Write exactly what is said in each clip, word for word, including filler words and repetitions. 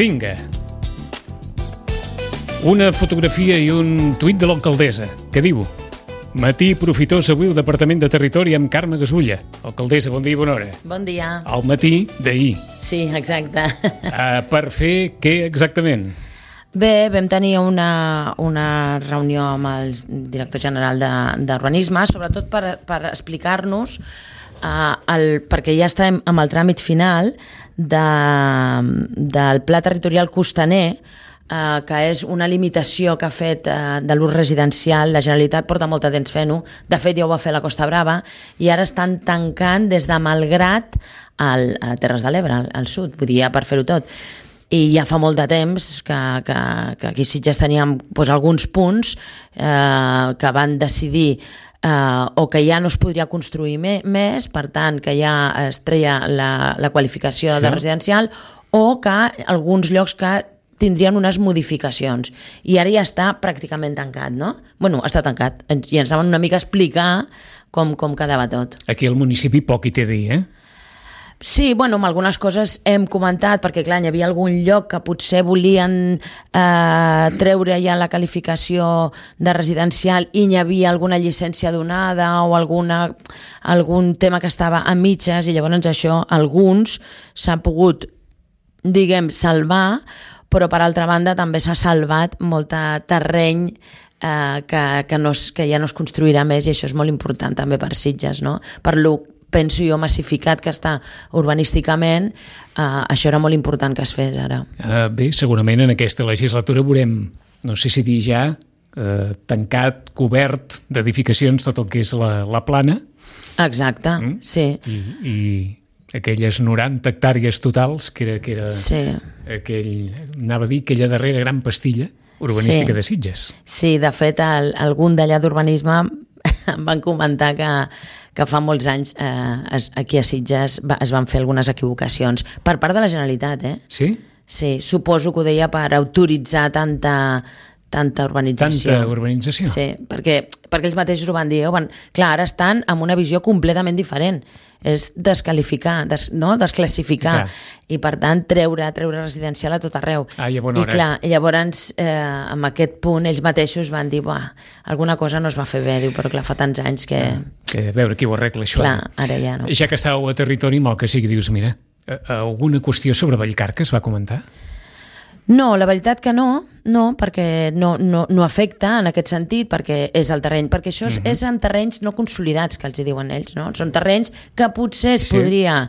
Vinga. Una fotografia i un tuit de l'alcaldessa, que diu: matí profitós avui al Departament de Territori amb Carme Gasulla. Alcaldessa, bon dia i bona hora. Bon dia. Al matí d'ahir. Sí, exacte. Uh, per fer què exactament? Bé, vam tenir una, una reunió amb el director general d'Urbanisme, sobretot per, per explicar-nos, uh, el, perquè ja estem amb el tràmit final de, del Pla Territorial Costaner, Uh, que és una limitació que ha fet uh, de l'ús residencial. La Generalitat porta molt de temps fent-ho, de fet ja ho va fer la Costa Brava, i ara estan tancant des de Malgrat al, a Terres de l'Ebre, al, al sud, vull dir, ja per fer-ho tot. I ja fa molt de temps que, que, que aquí sí ja teníem doncs, alguns punts eh, que van decidir Uh, o que ja no es podria construir me, més, per tant que ja es treia la, la qualificació sí. de residencial, o que alguns llocs que tindrien unes modificacions, i ara ja està pràcticament tancat, no? Bueno, està tancat, i ens anaven una mica a explicar com, com quedava tot. Aquí al municipi poc hi té a dir, eh? Sí, bueno, amb algunes coses hem comentat, perquè clar, hi havia algun lloc que potser volien eh, treure ja la qualificació de residencial i hi havia alguna llicència donada o alguna, algun tema que estava a mitges, i llavors això, alguns s'han pogut, diguem, salvar, però per altra banda també s'ha salvat molt terreny eh, que, que, no es, que ja no es construirà més, i això és molt important també per Sitges, no? Per lo, penso jo, massificat que està urbanísticament, eh, això era molt important que es fes ara. Uh, bé, segurament en aquesta legislatura veurem, no sé si dir ja, eh, tancat, cobert d'edificacions tot el que és la, la plana. Exacte, mm? sí. I, i aquelles noranta hectàrees totals, que era, que era sí. aquell, anava a dir, aquella darrera gran pastilla urbanística sí. de Sitges. Sí, de fet, el, algun d'allà d'urbanisme em van comentar que, que fa molts anys eh, es, aquí a Sitges va, es van fer algunes equivocacions per part de la Generalitat, eh? Sí? Sí, suposo que ho deia per autoritzar tanta, tanta urbanització. Tanta urbanització? Sí, perquè, perquè ells mateixos ho van dir. Van, clar, ara estan amb una visió completament diferent. És desqualificar, des, no? desclassificar, clar. I per tant treure, treure residencial a tot arreu. Ah, i a bona hora. I clar, llavors eh, amb aquest punt ells mateixos van dir, buah, alguna cosa no es va fer bé, diu, però clar, fa tants anys que... Ah, que a veure qui ho arregla, això. Clar, ara ja no. Ja que estàveu a territori, mal que sigui, dius, mira, alguna qüestió sobre Vallcarca es va comentar? No, la veritat que no, no, perquè no, no, no afecta en aquest sentit, perquè és el terreny, perquè això és, uh-huh. és en terrenys no consolidats, que els hi diuen ells, no? Són terrenys que potser es sí. podria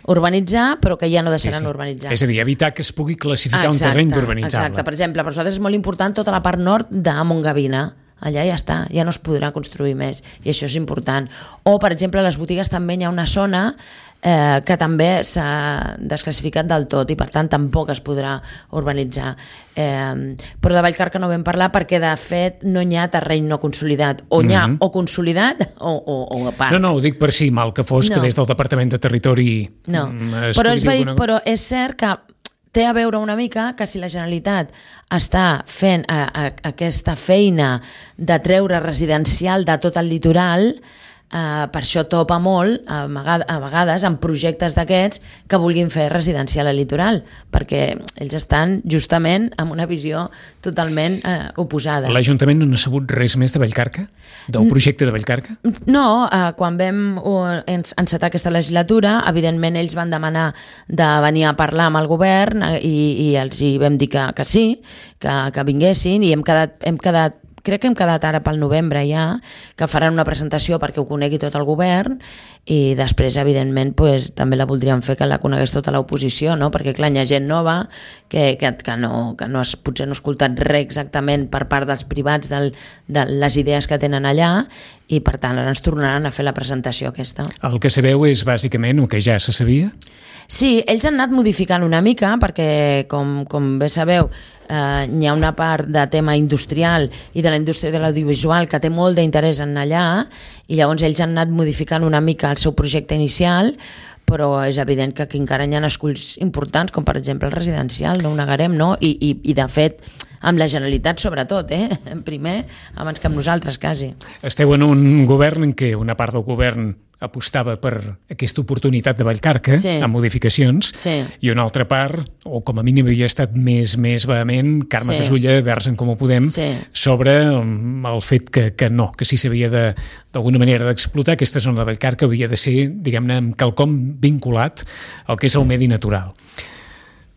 urbanitzar, però que ja no deixaran sí, sí. urbanitzar. És a dir, evitar que es pugui classificar exacte, un terreny d'urbanitzable. Exacte, per exemple, per nosaltres és molt important tota la part nord de Montgavina. Allà ja està, ja no es podrà construir més, i això és important. O, per exemple, a les botigues també hi ha una zona eh, que també s'ha desclassificat del tot, i per tant tampoc es podrà urbanitzar. Eh, però de Vallcarca no vam parlar perquè, de fet, no hi ha terreny no consolidat. O n'hi ha mm-hmm. o consolidat o, o, o a part. No, no, ho dic per si mal que fos, no. que des del Departament de Territori... No, però és, alguna... però és cert que té a veure una mica que si la Generalitat està fent a, a, aquesta feina de treure residencial de tot el litoral, eh, per això topa molt a, a vegades amb projectes d'aquests que vulguin fer residencial al litoral, perquè ells estan justament amb una visió totalment eh, oposada. L'Ajuntament no n'ha sabut res més de Vallcarca? Del projecte de Vallcarca? No, eh, quan vam uh, encetar aquesta legislatura, evidentment ells van demanar de venir a parlar amb el govern, eh, i, i els hi vam dir que, que sí, que, que vinguessin, i hem quedat, hem quedat crec que hem quedat ara pel novembre ja, que faran una presentació perquè ho conegui tot el govern, i després, evidentment, pues, també la voldríem fer que la conegués tota l'oposició, no? Perquè, clar, hi ha gent nova que, que, que, no, que no has, potser no ha escoltat res exactament per part dels privats del, de les idees que tenen allà, i, per tant, ara ens tornaran a fer la presentació aquesta. El que sabeu és, bàsicament, el que ja se sabia? Sí, ells han anat modificant una mica, perquè, com, com bé sabeu, eh, hi ha una part de tema industrial i de la indústria de l'audiovisual que té molt d'interès en allà, i llavors ells han anat modificant una mica el seu projecte inicial, però és evident que aquí encara hi ha esculls importants, com per exemple el residencial, no ho negarem, no? I, i, i de fet, amb la Generalitat sobretot, eh? Primer, abans que amb nosaltres, quasi. Esteu en un govern en què una part del govern apostava per aquesta oportunitat de Vallcarca, sí, amb modificacions, sí, i una altra part, o com a mínim havia estat més més vehement, Carme sí. Casulla, Verds en Comú Podem, sí. sobre el fet que, que no, que si s'havia d'alguna manera d'explotar aquesta zona de Vallcarca havia de ser, diguem-ne, amb quelcom vinculat al que és el medi natural.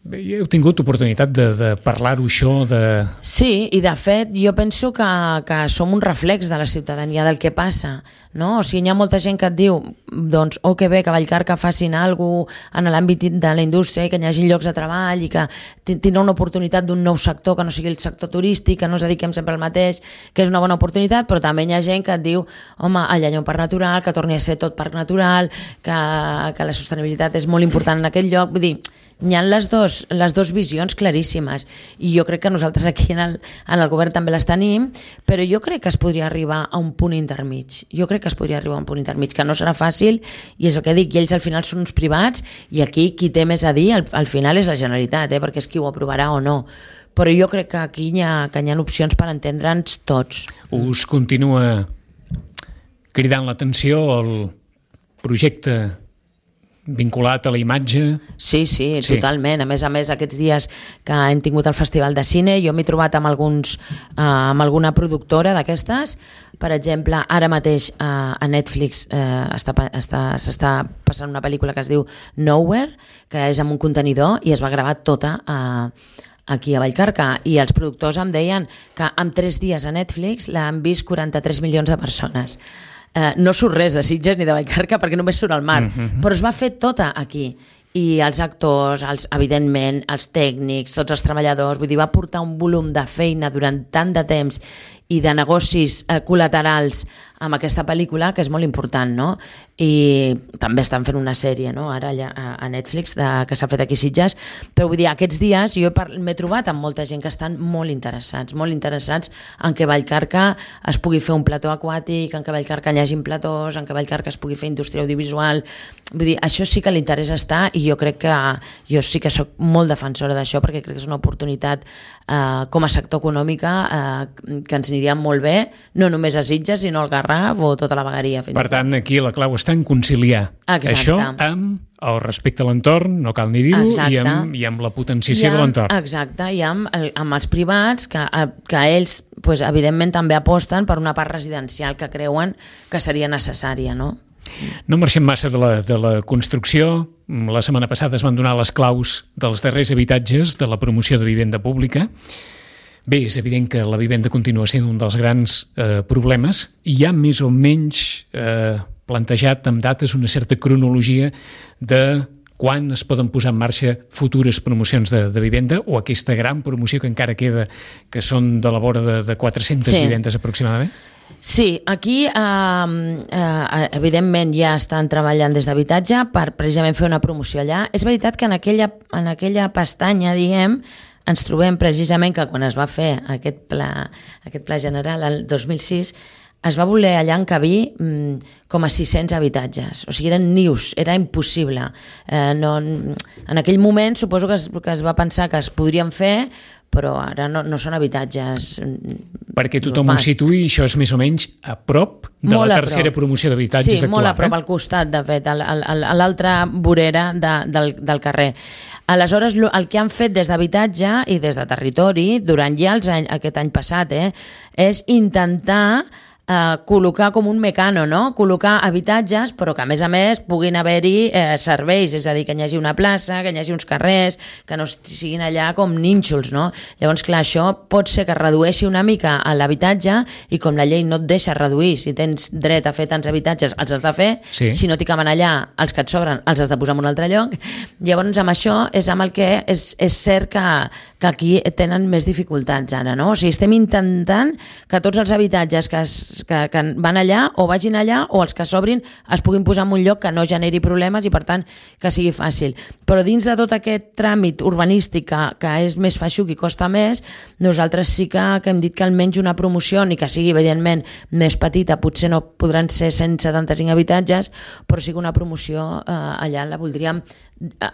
Heu tingut oportunitat de, de parlar-ho això? De... Sí, i de fet jo penso que, que som un reflex de la ciutadania del que passa, no? O sigui, hi ha molta gent que et diu doncs, oh, que bé, que Vallcarca facin alguna cosa en l'àmbit de la indústria i que hi hagi llocs de treball i que tindrà una oportunitat d'un nou sector que no sigui el sector turístic, que no ens dediquem sempre al mateix, que és una bona oportunitat, però també hi ha gent que et diu home, allà hi ha un parc natural, que torni a ser tot parc natural, que, que la sostenibilitat és molt important en aquell lloc, vull dir, hi ha les dos, les dos visions claríssimes i jo crec que nosaltres aquí en el, en el govern també les tenim, però jo crec que es podria arribar a un punt intermig, jo crec que es podria arribar a un punt intermig, que no serà fàcil i és el que dic, i ells al final són uns privats i aquí qui té més a dir al, al final és la Generalitat, eh, perquè és qui ho aprovarà o no, però jo crec que aquí hi ha, que hi ha opcions per entendre'ns tots. Us continua cridant l'atenció el projecte vinculat a la imatge? Sí, sí, sí, totalment. A més a més, aquests dies que hem tingut el Festival de Cine, jo m'he trobat amb, alguns, eh, amb alguna productora d'aquestes. Per exemple, ara mateix eh, a Netflix eh, està, està, s'està passant una pel·lícula que es diu Nowhere, que és amb un contenidor i es va gravar tota a aquí a Vallcarca, i els productors em deien que en tres dies a Netflix l'han vist quaranta-tres milions de persones. Uh, no surt res de Sitges ni de Vallcarca perquè només surt al mar, mm-hmm. però es va fer tota aquí i els actors, els, evidentment els tècnics, tots els treballadors, vull dir, va portar un volum de feina durant tant de temps i de negocis eh, col·laterals amb aquesta pel·lícula que és molt important, no? I també estan fent una sèrie, no? Ara allà a Netflix de, que s'ha fet aquí a Sitges, però vull dir, aquests dies jo m'he trobat amb molta gent que estan molt interessats, molt interessats en que Vallcarca es pugui fer un plató aquàtic, en que Vallcarca hi hagi platós, en que Vallcarca es pugui fer indústria audiovisual, vull dir, això sí que l'interès està i jo crec que jo sí que soc molt defensora d'això perquè crec que és una oportunitat eh, com a sector econòmica eh, que ens aniria molt bé, no només a Sitges sinó al Garraf o tota la vegueria. Per tant, aquí la clau està en conciliar Exacte. Això amb el respecte a l'entorn, no cal ni dir-ho, i amb, i amb la potenciació amb, de l'entorn. Exacte, i amb, amb els privats que, que ells, pues, evidentment, també aposten per una part residencial que creuen que seria necessària, no? No marxem massa de la, de la construcció. La setmana passada es van donar les claus dels darrers habitatges de la promoció de vivenda pública. Bé, és evident que la vivenda continua sent un dels grans eh, problemes i hi ha més o menys eh, plantejat amb dates una certa cronologia de quan es poden posar en marxa futures promocions de, de vivenda o aquesta gran promoció que encara queda, que són de la vora de, de quatre-centes sí. vivendes aproximadament? Sí, aquí eh, eh, evidentment ja estan treballant des d'habitatge per precisament fer una promoció allà. És veritat que en aquella, en aquella pestanya, diguem, ens trobem precisament que quan es va fer aquest pla, aquest pla general el dos mil sis es va voler allà encabir mm, com a sis-cents habitatges, o sigui, eren nius, era impossible. Eh, no, en aquell moment suposo que es, que es va pensar que es podrien fer, però ara no, no són habitatges perquè tothom normals. Ho situï, això és més o menys a prop de molt la tercera promoció d'habitatges sí, actual. Sí, molt a prop, eh? al costat, de fet, a, a, a l'altra vorera de, del, del carrer. Aleshores, el que han fet des d'habitatge i des de territori, durant ja els any, aquest any passat, eh, és intentar eh, col·locar com un mecano, no? Col·locar habitatges, però que a més a més puguin haver-hi eh, serveis, és a dir, que hi hagi una plaça, que hi hagi uns carrers, que no siguin allà com nínxols, no? Llavors, clar, això pot ser que redueixi una mica l'habitatge i com la llei no et deixa reduir, si tens dret a fer tants habitatges, els has de fer, sí. Si no t'hi caben allà, els que et sobren, els has de posar en un altre lloc. Llavors, amb això és amb el que és, és cert que, que aquí tenen més dificultats ara, no? O sigui, estem intentant que tots els habitatges que es Que, que van allà o vagin allà o els que s'obrin es puguin posar en un lloc que no generi problemes i per tant que sigui fàcil. Però dins de tot aquest tràmit urbanístic que, que és més feixuc i costa més, nosaltres sí que, que hem dit que almenys una promoció, ni que sigui evidentment més petita, potser no podran ser cent setanta-cinc habitatges, però sí que una promoció eh, allà la voldríem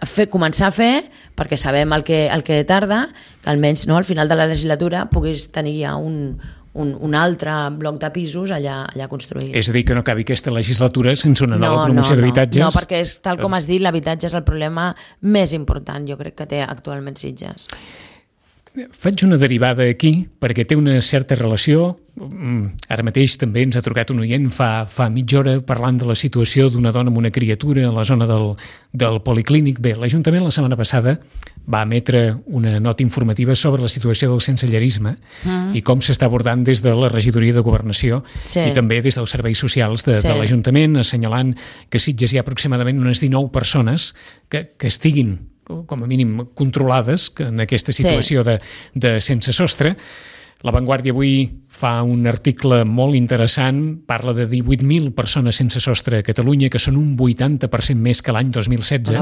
fer, començar a fer, perquè sabem el que, el que tarda, que almenys no, al final de la legislatura puguis tenir ja un Un, un altre bloc de pisos allà, allà construït. És a dir, que no acabi aquesta legislatura sense una nova no, promoció no, d'habitatges? No, no, perquè és, tal com has dit, l'habitatge és el problema més important, jo crec, que té actualment Sitges. Faig una derivada aquí perquè té una certa relació. Ara mateix també ens ha trucat un oient fa, fa mitja hora parlant de la situació d'una dona amb una criatura a la zona del, del Policlínic. Bé, l'Ajuntament la setmana passada va emetre una nota informativa sobre la situació del sensellarisme mm. i com s'està abordant des de la Regidoria de Governació sí. i també des dels serveis socials de, sí. de l'Ajuntament, assenyalant que a Sitges hi ha aproximadament unes dinou persones que, que estiguin com a mínim controlades en aquesta situació sí. de, de sense sostre. La Vanguardia avui fa un article molt interessant, parla de divuit mil persones sense sostre a Catalunya, que són un vuitanta per cent més que l'any dos mil setze,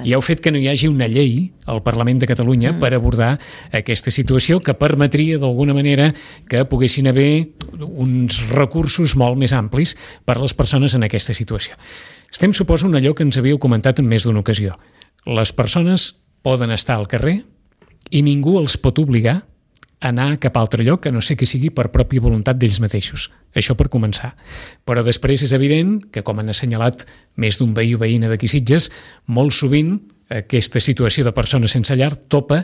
i ha fet que no hi hagi una llei al Parlament de Catalunya mm. per abordar aquesta situació que permetria d'alguna manera que poguessin haver uns recursos molt més amplis per a les persones en aquesta situació. Estem, suposo, en allò que ens havíeu comentat en més d'una ocasió. Les persones poden estar al carrer i ningú els pot obligar a anar cap a altre lloc, que no sé que sigui per pròpia voluntat d'ells mateixos. Això per començar. Però després és evident que, com han assenyalat més d'un veí o veïna d'aquí Sitges, molt sovint aquesta situació de persones sense llar topa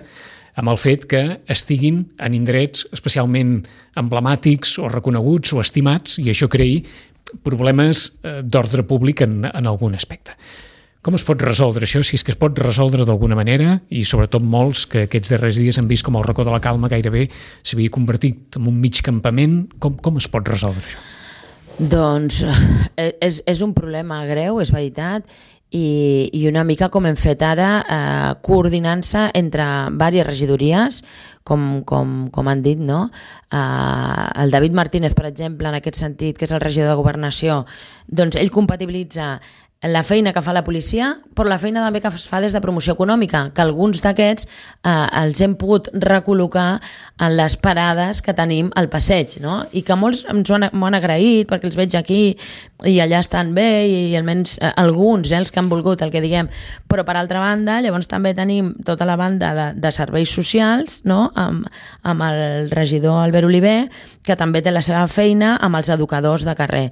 amb el fet que estiguin en indrets especialment emblemàtics o reconeguts o estimats, i això creï problemes d'ordre públic en, en algun aspecte. Com es pot resoldre això, si és que es pot resoldre d'alguna manera, i sobretot molts que aquests darrers dies han vist com el racó de la Calma gairebé s'havia convertit en un mig campament, com, com es pot resoldre això? Doncs és, és un problema greu, és veritat, i, i una mica com hem fet ara, eh, coordinant-se entre diverses regidories, com, com, com han dit, no? Eh, el David Martínez, per exemple, en aquest sentit, que és el regidor de Governació, doncs ell compatibilitza la feina que fa la policia, però la feina també que es fa des de promoció econòmica, que alguns d'aquests eh, els hem pogut recol·locar en les parades que tenim al passeig, no? I que molts ens ho han, m'ho han agraït perquè els veig aquí i allà estan bé, i almenys eh, alguns, eh, els que han volgut, el que diguem. Però per altra banda, llavors també tenim tota la banda de, de serveis socials, no? amb, amb el regidor Albert Oliver, que també té la seva feina amb els educadors de carrer.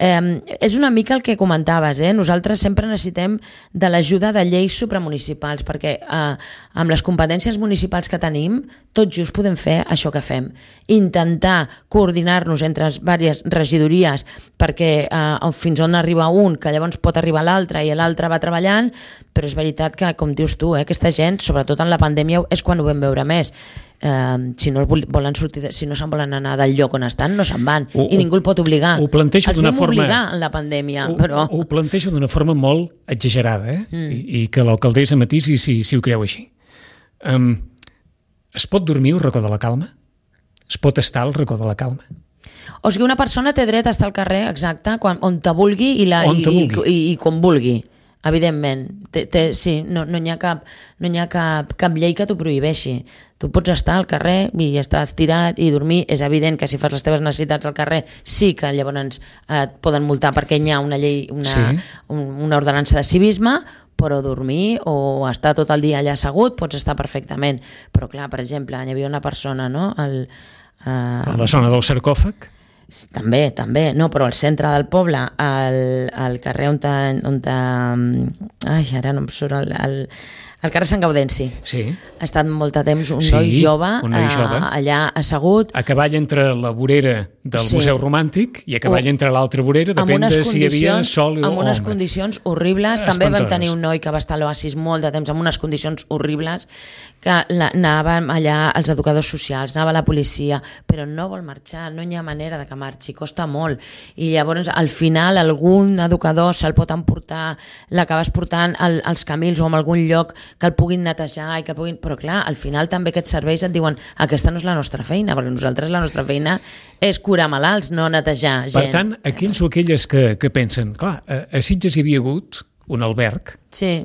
Eh, és una mica el que comentaves, eh? Nosaltres sempre necessitem de l'ajuda de lleis supramunicipals, perquè eh, amb les competències municipals que tenim, tot just podem fer això que fem. Intentar coordinar-nos entre diverses regidories perquè eh, fins on arriba un, que llavors pot arribar l'altre i l'altre va treballant, però és veritat que, com dius tu, eh, aquesta gent, sobretot en la pandèmia, és quan ho vam veure més. Uh, si no volen sortir, si no se'n volen anar del lloc on estan, no se'n van, ho, i ningú el pot obligar. Ho plantejo d'una forma... obligar en la pandèmia, ho, però... Ho plantejo d'una forma molt exagerada, eh? Mm. I, i que l'alcaldessa matisi si, si ho creu així. Um, es pot dormir al racó de la Calma? Es pot estar al racó de la Calma? O sigui, una persona té dret a estar al carrer, exacte, quan, on te vulgui i, la, i, i, i, i com vulgui. Evidentment, té, té, sí, no, no hi ha, cap, no hi ha cap, cap llei que t'ho prohibeixi. Tu pots estar al carrer i estar estirat i dormir. És evident que si fas les teves necessitats al carrer sí que llavors et poden multar perquè hi ha una llei, una, sí. un, una ordenança de civisme, però dormir o estar tot el dia allà assegut pots estar perfectament. Però clar, per exemple, hi havia una persona, no? El, uh... a la zona del sarcòfag? També, també, no, però al centre del poble, al, al carrer on... on ai, ara no em surt el... el al carrer Sant Gaudenci. Sí. Ha estat molt de temps un sí, noi jove, un noi jove. Uh, allà assegut. A cavall entre la vorera del sí. Museu Romàntic i a cavall entre l'altra vorera, depèn de si hi havia sol o amb unes ombra. Condicions horribles. També vam tenir un noi que va estar a l'Oasis molt de temps amb unes condicions horribles, que anàvem allà els educadors socials, anava la policia, però no vol marxar, no hi ha manera de que marxi, costa molt. I llavors al final algun educador se'l pot emportar, l'acabes portant al, als camins o en algun lloc que el puguin netejar i que el puguin... Però clar, al final també aquests serveis et diuen aquesta no és la nostra feina, perquè nosaltres la nostra feina és curar malalts, no netejar gent. Per tant, aquells o aquelles que, que pensen, clar, a, a Sitges hi havia hagut un alberg sí.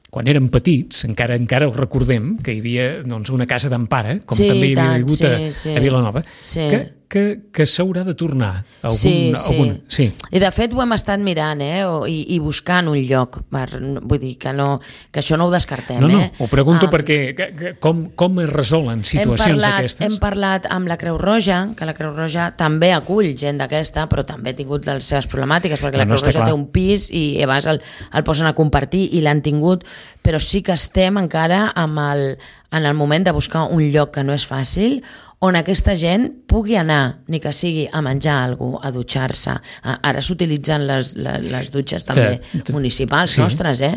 quan érem petits, encara encara ho recordem, que hi havia doncs, una casa d'empara, com sí, també hi havia tant, hagut sí, a, sí. a Vilanova, sí. que, que, que s'haurà de tornar algun, sí, sí. alguna. Sí. I de fet ho hem estat mirant eh? o, i, i buscant un lloc, per, vull dir que, no, que això no ho descartem. No, no, eh? ho pregunto um, perquè que, que, com, com es resolen situacions d'aquestes? Hem parlat amb la Creu Roja, que la Creu Roja també acull gent d'aquesta, però també ha tingut les seves problemàtiques, perquè la no, Creu no Roja clar. té un pis i a vegades el, el posen a compartir i l'han tingut, però sí que estem encara amb el, en el moment de buscar un lloc que no és fàcil, on aquesta gent pugui anar, ni que sigui a menjar alguna cosa, a dutxar-se. Ara s'utilitzen les, les, les dutxes també de, de, municipals sí. nostres, eh?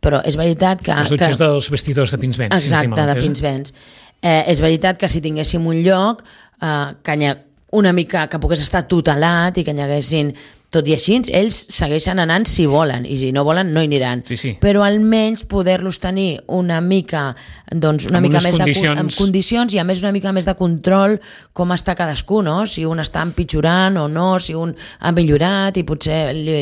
Però és veritat que... Les dutxes que, dels vestidors de Pinsbens. Exacte, de Pinsbens. Eh, és veritat que si tinguéssim un lloc eh, que hi ha una mica que pogués estar tutelat i que hi haguessin... Tot i així, ells segueixen anant si volen, i si no volen no hi aniran. Sí, sí. Però almenys poder-los tenir una mica, doncs, una amb mica més condicions... de, amb condicions i a més una mica més de control com està cadascú, no? Si un està empitjorant o no, si un ha millorat i potser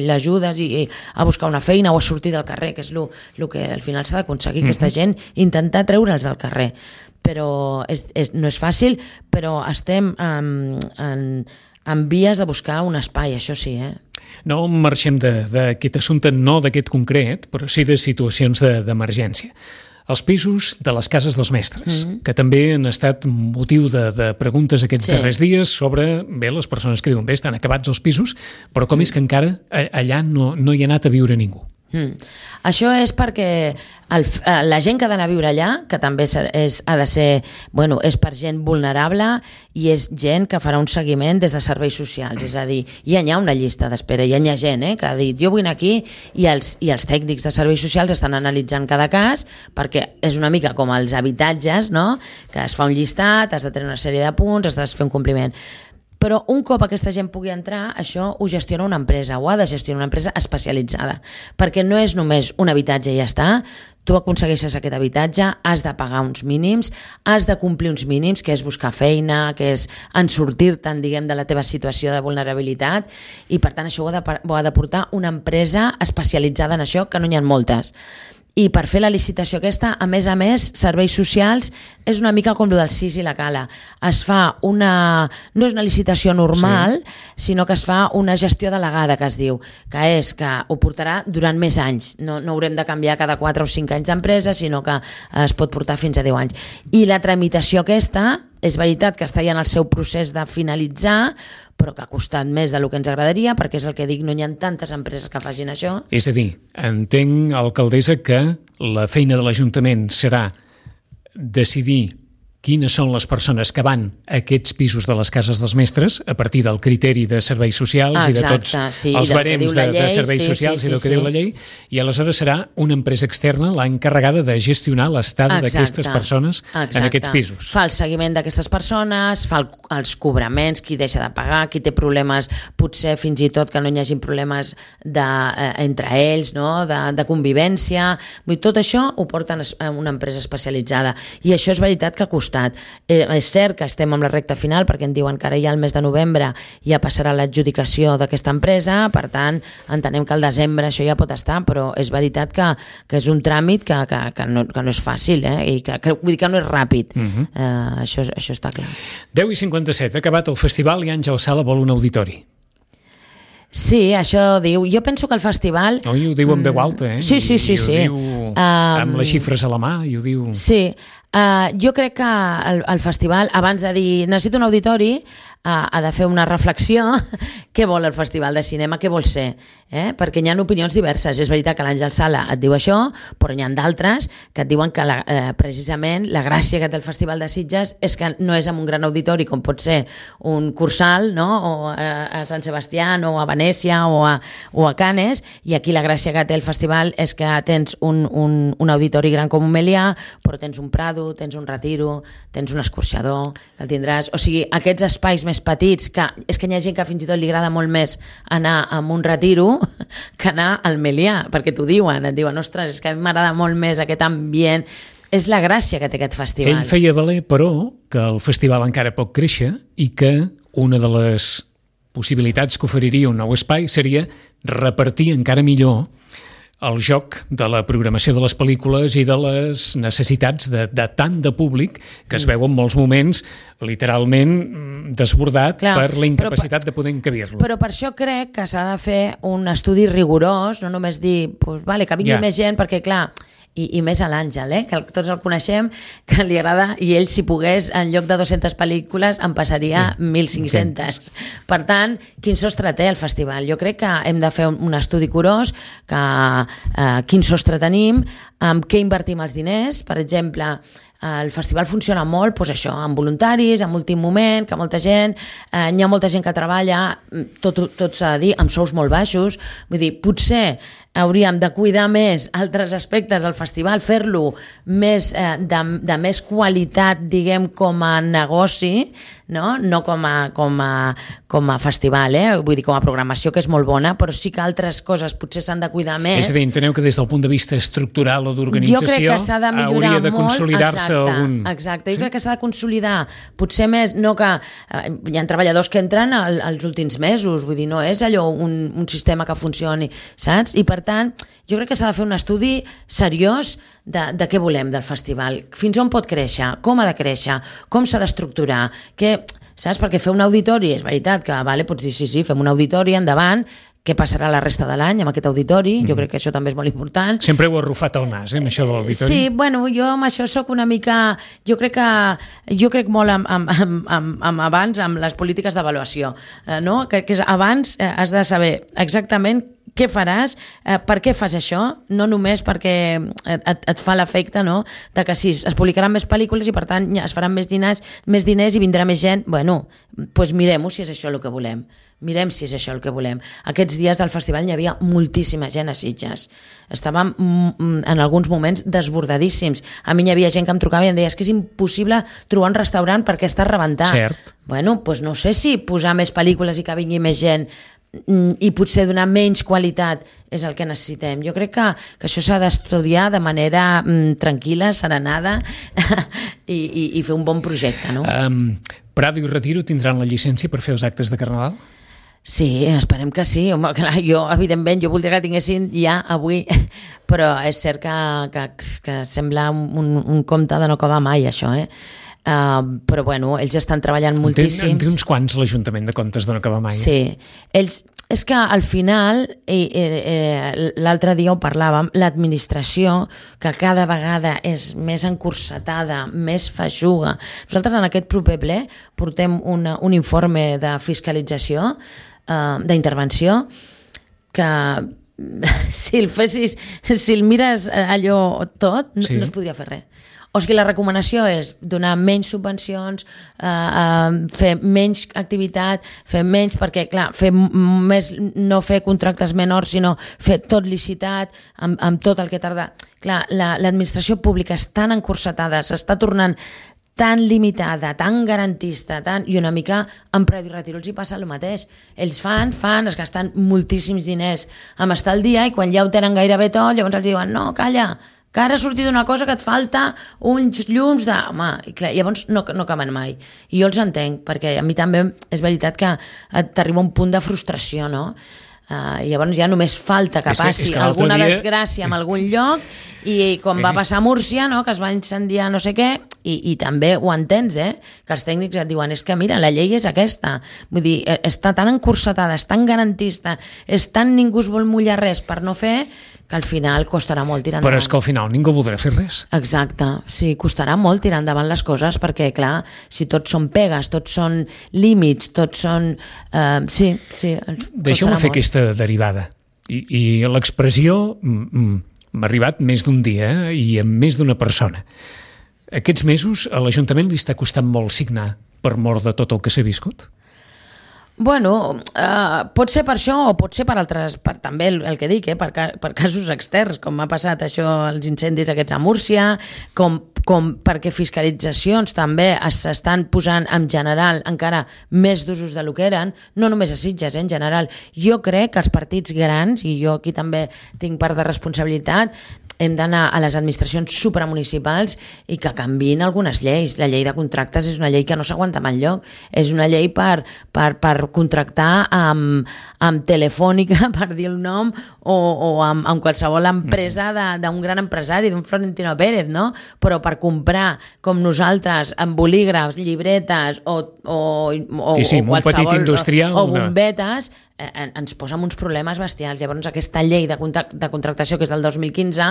l'ajudes i, i a buscar una feina o a sortir del carrer, que és el que al final s'ha d'aconseguir, mm-hmm. aquesta gent, intentar treure'ls del carrer. Però és, és, no és fàcil, però estem en... en en vies de buscar un espai, això sí, eh? No marxem d'aquest assumpte, no d'aquest concret, però sí de situacions d'emergència. Els pisos de les cases dels mestres, mm-hmm. que també han estat motiu de, de preguntes aquests sí. darrers dies sobre, bé, les persones que diuen, bé, estan acabats els pisos, però com mm. és que encara allà no, no hi ha anat a viure ningú? Mm. Això és perquè el, la gent que ha d'anar a viure allà, que també és, ha de ser, bueno, és per gent vulnerable i és gent que farà un seguiment des de serveis socials, és a dir, ja hi ha una llista d'espera, ja hi ha gent eh, que ha dit jo vull anar aquí i els, i els tècnics de serveis socials estan analitzant cada cas perquè és una mica com els habitatges, no? Que es fa un llistat, has de tenir una sèrie de punts, has de fer un compliment. Però un cop aquesta gent pugui entrar, això ho gestiona una empresa, o ha de gestionar una empresa especialitzada, perquè no és només un habitatge i ja està, tu aconsegueixes aquest habitatge, has de pagar uns mínims, has de complir uns mínims, que és buscar feina, que és en sortir-te'n, diguem, de la teva situació de vulnerabilitat, i per tant això ho ha de, ho ha de portar una empresa especialitzada en això, que no n'hi ha moltes. I per fer la licitació aquesta, a més a més, serveis socials és una mica com el del C I S i la Cala. Es fa una... no és una licitació normal, sí. sinó que es fa una gestió delegada, que es diu, que és que ho portarà durant més anys. No, no haurem de canviar cada quatre o cinc anys d'empresa, sinó que es pot portar fins a deu anys. I la tramitació aquesta, és veritat que està ja en el seu procés de finalitzar, però que ha costat més del que ens agradaria, perquè és el que dic, no hi ha tantes empreses que facin això. És a dir, entenc, alcaldessa, que la feina de l'Ajuntament serà decidir quines són les persones que van a aquests pisos de les cases dels mestres a partir del criteri de serveis socials Exacte, i de tots sí, els barems de, llei, de serveis sí, socials sí, sí, i del que sí. diu la llei, i aleshores serà una empresa externa l'encarregada de gestionar l'estada d'aquestes persones Exacte. en aquests pisos. Fa el seguiment d'aquestes persones, fa el, els cobraments, qui deixa de pagar, qui té problemes, potser fins i tot que no hi hagi problemes de, eh, entre ells, no? de, de convivència. Vull dir, tot això ho porten a una empresa especialitzada, i això és veritat que ha costat. Eh, és cert que estem amb la recta final perquè em diuen que ara ja al mes de novembre ja passarà l'adjudicació d'aquesta empresa, per tant entenem que al desembre això ja pot estar, però és veritat que, que és un tràmit que, que, que, no, que no és fàcil, eh? I que, que, vull dir que no és ràpid. Uh-huh. eh, això, això està clar. deu i cinquanta-set, ha acabat el festival i Àngel Sala vol un auditori. Sí, això diu. Jo penso que el festival... No, i ho diu en veu alta, eh? Sí, sí, sí. I, i ho sí. diu um... amb les xifres a la mà, i ho diu... Sí, uh, jo crec que el, el festival, abans de dir necessito un auditori, uh, ha de fer una reflexió. Què vol el festival de cinema, què vol ser? Eh? Perquè hi ha opinions diverses. És veritat que l'Àngel Sala et diu això, però hi ha d'altres que et diuen que la, eh, precisament la gràcia que té el Festival de Sitges és que no és amb un gran auditori com pot ser un Cursal, no? O a, a Sant Sebastià, o a Venècia, o a, o a Canes, i aquí la gràcia que té el festival és que tens un, un, un auditori gran com un Melià, però tens un Prado, tens un Retiro, tens un escorxador, que el tindràs... O sigui, aquests espais més petits, que és que hi ha gent que fins i tot li agrada molt més anar a un Retiro que anar al Melià, perquè t'ho diuen, et diuen, ostres, és que a mi m'agrada molt més aquest ambient. És la gràcia que té aquest festival. Ell feia valer, però, que el festival encara pot créixer i que una de les possibilitats que oferiria un nou espai seria repartir encara millor el joc de la programació de les pel·lícules i de les necessitats de, de tant de públic que es veu en molts moments literalment desbordat Clar, per la incapacitat però, de poder encabir-lo. Però per això crec que s'ha de fer un estudi rigorós, no només dir pues, vale, que vingui yeah. més gent, perquè clar, I, i més a l'Àngel, eh? Que tots el coneixem, que li agrada, i ell si pogués en lloc de dues-centes pel·lícules en passaria sí. mil cinc-centes. Per tant, quin sostre té el festival? Jo crec que hem de fer un, un estudi curós, que eh, quin sostre tenim, amb què invertim els diners, per exemple, el festival funciona molt, doncs això, amb voluntaris, amb últim moment, que molta gent, eh, hi ha molta gent que treballa, tot, tot s'ha de dir, amb sous molt baixos, vull dir, potser hauríem de cuidar més altres aspectes del festival, fer-lo més eh, de, de més qualitat, diguem, com a negoci, no, no com, a, com, a, com a festival, eh? Vull dir, com a programació, que és molt bona, però sí que altres coses potser s'han de cuidar més. És a dir, enteneu que des del punt de vista estructural o d'organització hauria de consolidar-se algun... Exacte, jo sí? crec que s'ha de consolidar, potser més, no que eh, hi ha treballadors que entren al, als últims mesos, vull dir, no és allò un, un sistema que funcioni, saps? I per tant, jo crec que s'ha de fer un estudi seriós de, de què volem del festival, fins on pot créixer, com ha de créixer, com s'ha d'estructurar, que, saps? Perquè fer un auditori, és veritat que, vale, pots dir, sí, sí, fem un auditori, endavant, què passarà la resta de l'any amb aquest auditori, mm. jo crec que això també és molt important. Sempre heu arrufat el nas, eh, amb això de l'auditori. Sí, bueno, jo amb això sóc una mica... Jo crec que... Jo crec molt amb, amb, amb, amb, amb abans, amb les polítiques d'avaluació, eh, no? Que, que és, abans eh, has de saber exactament què faràs, eh, per què fas això, no només perquè et, et fa l'efecte, no?, de que sí, es publicaran més pel·lícules i per tant es faran més diners, més diners i vindrà més gent. Bueno, doncs mirem-ho si és això el que volem. Mirem si és això el que volem. Aquests dies del festival hi havia moltíssima gent a Sitges. Estàvem en alguns moments desbordadíssims. A mi hi havia gent que em trucava i em deia és que és impossible trobar un restaurant perquè està rebentat. Cert. Bueno, doncs no sé si posar més pel·lícules i que vingui més gent i potser donar menys qualitat és el que necessitem. Jo crec que, que això s'ha d'estudiar de manera mm, tranquil·la, serenada i, i, i fer un bon projecte, no? Um, Prado i Retiro tindran la llicència per fer els actes de Carnaval? Sí, esperem que sí. Home, clar, jo, evidentment, jo voldria que tinguessin ja avui, però és cert que, que, que sembla un, un conte de no acabar mai, això, eh? Uh, però bueno, ells estan treballant moltíssims. En té uns quants l'Ajuntament de Comptes de no acabar mai. Sí, ells, és que al final, eh, eh, l'altre dia ho parlàvem, l'administració, que cada vegada és més encursetada, més feixuga. Nosaltres en aquest proper ple portem una, un informe de fiscalització, eh, d'intervenció, que si el fessis, si el mires allò tot, no, sí. no es podria fer res. O sigui, la recomanació és donar menys subvencions, eh, eh, fer menys activitat, fer menys, perquè, clar, fer més, no fer contractes menors, sinó fer tot licitat, amb, amb tot el que tarda. Clar, la, l'administració pública és tan encursetada, s'està tornant tan limitada, tan garantista, tan... i una mica amb Prado i Retiro els hi passa el mateix. Ells fan, fan, es gasten moltíssims diners amb estar al dia i quan ja ho tenen gairebé tot, llavors els diuen, no, calla, que ara ha sortit una cosa que et falta uns llums de... Home, i clar, llavors no, no acaben mai. I jo els entenc, perquè a mi també és veritat que t'arriba un punt de frustració, no? Uh, llavors ja només falta que passi que, que alguna dia... desgràcia en algun lloc i com va passar a Múrcia, no? Que es va incendiar no sé què, i, i també ho entens, eh? Que els tècnics et diuen és que mira, la llei és aquesta, vull dir, està tan encursetada, és tan garantista, és tan ningú es vol mullar res per no fer, que al final costarà molt tirar endavant. Però és que al final ningú voldrà fer res. Exacte, sí, costarà molt tirar endavant les coses perquè, clar, si tots són pegues, tots són límits, tots són... Uh, sí, sí, deixeu-me fer molt. Aquesta derivada. I, i l'expressió m'ha arribat més d'un dia eh? I amb més d'una persona. Aquests mesos a l'Ajuntament li està costant molt signar per mort de tot el que s'ha viscut? Bueno, eh, pot ser per això o pot ser per altres, per, també el, el que dic, eh, per, per casos externs, com ha passat això, els incendis aquests a Múrcia, com, com perquè fiscalitzacions també s'estan posant en general encara més d'usos de lo que eren, no només a Sitges, eh, en general. Jo crec que els partits grans, i jo aquí també tinc part de responsabilitat, hem d'anar a les administracions supramunicipals i que canviïn algunes lleis. La llei de contractes és una llei que no s'aguanta mai enlloc. És una llei per, per, per contractar amb, amb Telefònica, per dir el nom, o, o amb, amb qualsevol empresa d'un gran empresari, d'un Florentino Pérez, no? Però per comprar, com nosaltres, amb bolígrafs, llibretes o, o, o, sí, sí, o qualsevol... petit industrial, o, o bombetes, eh, ens posa uns problemes bestials. Llavors aquesta llei de, contract, de contractació, que és del dos mil quinze,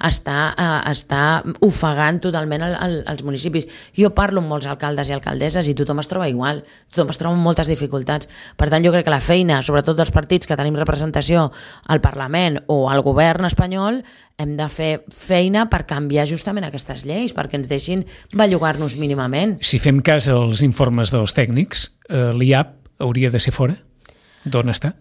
està, eh, està ofegant totalment el, el, els municipis. Jo parlo amb molts alcaldes i alcaldesses i tothom es troba igual, tothom es troba amb moltes dificultats. Per tant, jo crec que la feina, sobretot dels partits que tenim representació al Parlament o al govern espanyol, hem de fer feina per canviar justament aquestes lleis, perquè ens deixin bellugar-nos mínimament. Si fem cas als informes dels tècnics, eh, l'I A P hauria de ser fora? D'on està?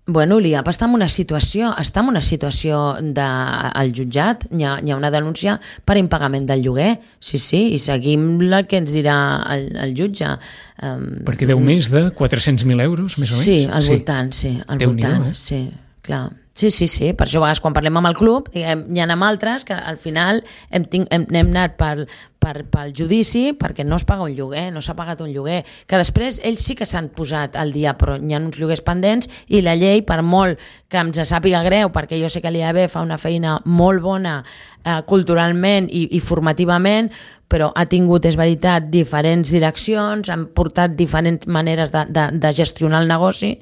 Bueno, l'I A P està en una situació, està en una situació de, al jutjat, hi ha, hi ha una denúncia per impagament del lloguer, sí, sí, i seguim el que ens dirà el, el jutge. Um, Perquè deu més de quatre-cents mil euros, més o menys? Sí, al sí. voltant, sí, al Déu voltant, eh? sí, clar. Sí, sí, sí, per això a vegades quan parlem amb el club, diguem, hi ha amb altres que al final hem, tinc, hem, hem anat per, per, pel judici perquè no es paga un lloguer, no s'ha pagat un lloguer, que després ells sí que s'han posat al dia, però hi ha uns lloguers pendents i la llei, per molt que ens sàpiga greu, perquè jo sé que l'I A B fa una feina molt bona eh, culturalment i, i formativament, però ha tingut, és veritat, diferents direccions, han portat diferents maneres de, de, de gestionar el negoci,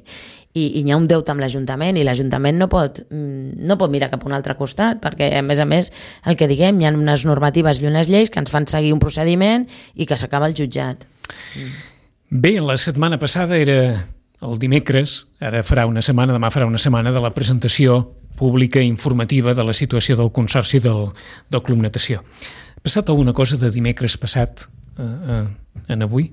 i, i hi ha un deute amb l'Ajuntament i l'Ajuntament no pot, no pot mirar cap a un altre costat, perquè a més a més el que diguem, hi ha unes normatives i unes lleis que ens fan seguir un procediment i que s'acaba el jutjat. Bé, la setmana passada era el dimecres, ara farà una setmana, demà farà una setmana de la presentació pública i informativa de la situació del Consorci del, del Club Natació. Ha passat alguna cosa de dimecres passat eh, eh, en avui?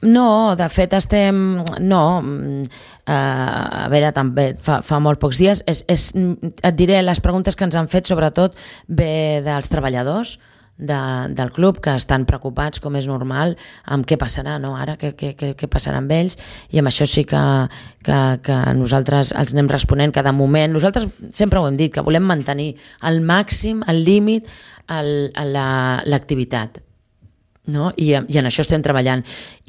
No, de fet estem... No, uh, a veure, també fa, fa molt pocs dies. És, és, et diré, les preguntes que ens han fet sobretot ve dels treballadors de, del club, que estan preocupats, com és normal, amb què passarà, no? Ara, què, què, què passarà amb ells, i amb això sí que, que, que nosaltres els anem responent cada moment. Nosaltres sempre ho hem dit, que volem mantenir al màxim, al límit, el, la, l'activitat. No? I, i en això estem treballant,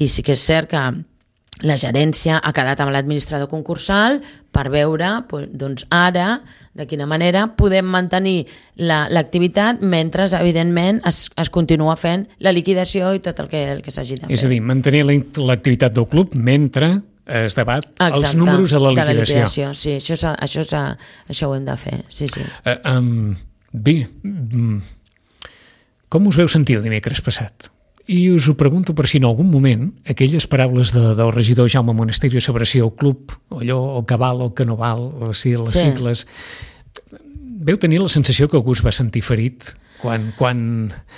i sí que és cert que la gerència ha quedat amb l'administrador concursal per veure doncs, ara de quina manera podem mantenir la, l'activitat mentre evidentment es, es continua fent la liquidació i tot el que, el que s'hagi de fer. És a dir, mantenir l'activitat del club mentre es debat Exacte, els números de la liquidació. De la liquidació, sí, això, això, això, això ho hem de fer, sí, sí. Uh, um, bé, um, com us veu sentir el dimecres passat? I us ho pregunto per si en algun moment aquelles paraules de, del regidor Jaume Monasterio sobre si el club, o allò, el que val o el que no val, o si les sí. sigles... Veu tenir la sensació que algú es va sentir ferit quan, quan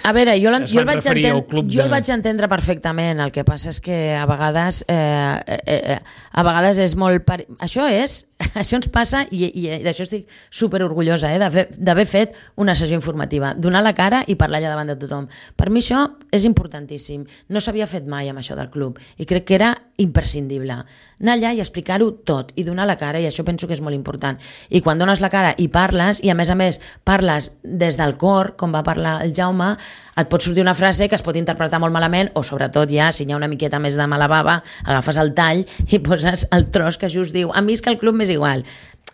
a veure, jo, es jo van el referir al club de... de... Jo el vaig entendre perfectament, el que passa és que a vegades eh, eh, a vegades és molt... Per... Això és... Això ens passa i, i d'això estic superorgullosa eh, d'haver fet una sessió informativa, donar la cara i parlar allà davant de tothom. Per mi això és importantíssim. No s'havia fet mai amb això del club i crec que era imprescindible. Anar allà i explicar-ho tot i donar la cara, i això penso que és molt important. I quan dones la cara i parles, i a més a més parles des del cor, com va parlar el Jaume, et pot sortir una frase que es pot interpretar molt malament, o sobretot ja, si hi ha una miqueta més de mala bava, agafes el tall i poses el tros que just diu, a mi és que el club m'és igual.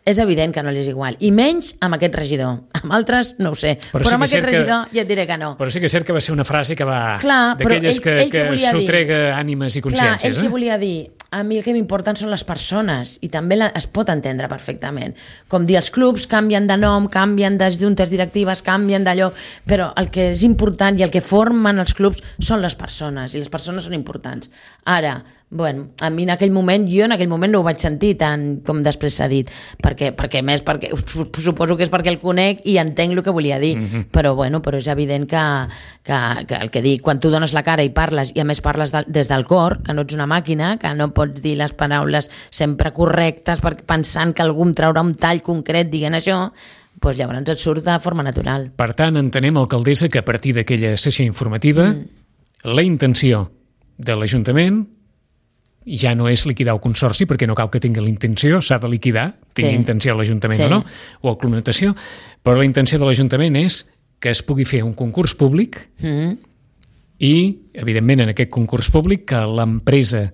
És evident que no li és igual, i menys amb aquest regidor. Amb altres no ho sé, però, però sí amb aquest regidor que... ja et diré que no. Però sí que és cert que va ser una frase que va... Clar, d'aquelles que, ell, ell que, que sotrega dir... ànimes i consciències. Clar, ell eh? que volia dir, a mi el que m'importen són les persones, i també la, es pot entendre perfectament. Com dir, els clubs canvien de nom, canvien de juntes directives, canvien d'allò, però el que és important i el que formen els clubs són les persones, i les persones són importants. Ara, bueno, a mi en aquell moment, jo en aquell moment no ho vaig sentir tant com després s'ha dit, perquè, perquè més, perquè suposo que és perquè el conec i entenc el que volia dir, mm-hmm. però bueno, però és evident que, que, que el que dic, quan tu dones la cara i parles, i a més parles de, des del cor, que no ets una màquina, que no pots dir les paraules sempre correctes pensant que algú em traurà un tall concret dient això, doncs llavors et surt de forma natural. Per tant, entenem, alcaldessa, que a partir d'aquella sessió informativa mm. la intenció de l'Ajuntament ja no és liquidar el consorci, perquè no cal que tingui la intenció, s'ha de liquidar, tingui Sí. intenció l'Ajuntament Sí. o no, o el Club Natació, però la intenció de l'Ajuntament és que es pugui fer un concurs públic Mm. i, evidentment, en aquest concurs públic que l'empresa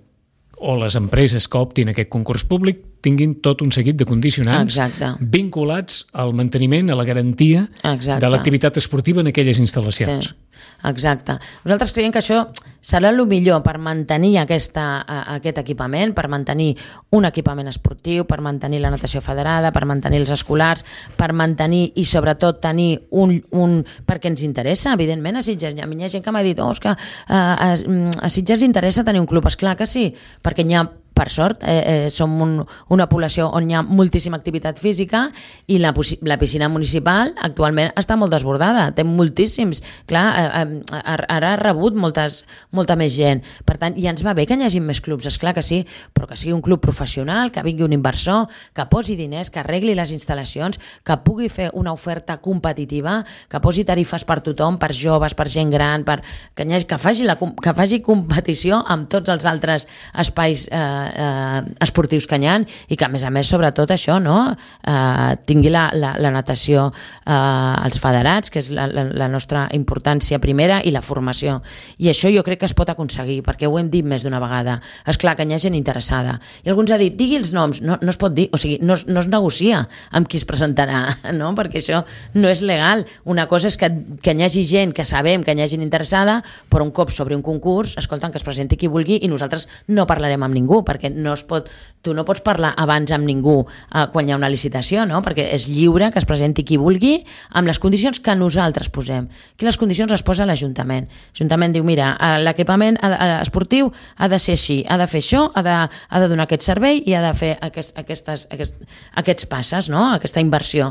o les empreses que optin aquest concurs públic tinguin tot un seguit de condicionants Exacte. vinculats al manteniment, a la garantia Exacte. de l'activitat esportiva en aquelles instal·lacions. Sí, exacte. Nosaltres creiem que això serà el millor per mantenir aquesta, a- aquest equipament, per mantenir un equipament esportiu, per mantenir la natació federada, per mantenir els escolars, per mantenir i sobretot tenir un... un perquè ens interessa, evidentment, a Sitges. A mi hi ha gent que m'ha dit, oh, és que uh, a, a Sitges interessa tenir un club. Esclar que sí, perquè n'hi ha per sort, eh, eh, som un, una població on hi ha moltíssima activitat física i la, la piscina municipal actualment està molt desbordada, té moltíssims, clar, eh, eh, ara ha rebut moltes, molta més gent, per tant, ja ens va bé que hi hagi més clubs, esclar que sí, però que sigui un club professional, que vingui un inversor, que posi diners, que arregli les instal·lacions, que pugui fer una oferta competitiva, que posi tarifes per tothom, per joves, per gent gran, per, que, hagi, que, faci la, que faci competició amb tots els altres espais eh, Eh, esportius que hi ha i que a més a més sobretot això no? eh, tingui la, la, la natació eh, els federats, que és la, la, la nostra importància primera, i la formació, i això jo crec que es pot aconseguir perquè ho hem dit més d'una vegada. És clar que hi ha gent interessada i alguns ha dit, digui els noms, no, no es pot dir, o sigui, no, no es negocia amb qui es presentarà, no? Perquè això no és legal. Una cosa és que, que hi hagi gent que sabem que hi ha gent interessada, però un cop sobre un concurs, escolten, que es presenti qui vulgui i nosaltres no parlarem amb ningú, perquè no es pot, tu no pots parlar abans amb ningú eh, quan hi ha una licitació, no? Perquè és lliure que es presenti qui vulgui amb les condicions que nosaltres posem. Aquí les condicions les posa l'Ajuntament. L'Ajuntament diu, mira, l'equipament esportiu ha de ser així, ha de fer això, ha de, ha de donar aquest servei i ha de fer aquest, aquestes, aquest, aquests passes, no? Aquesta inversió.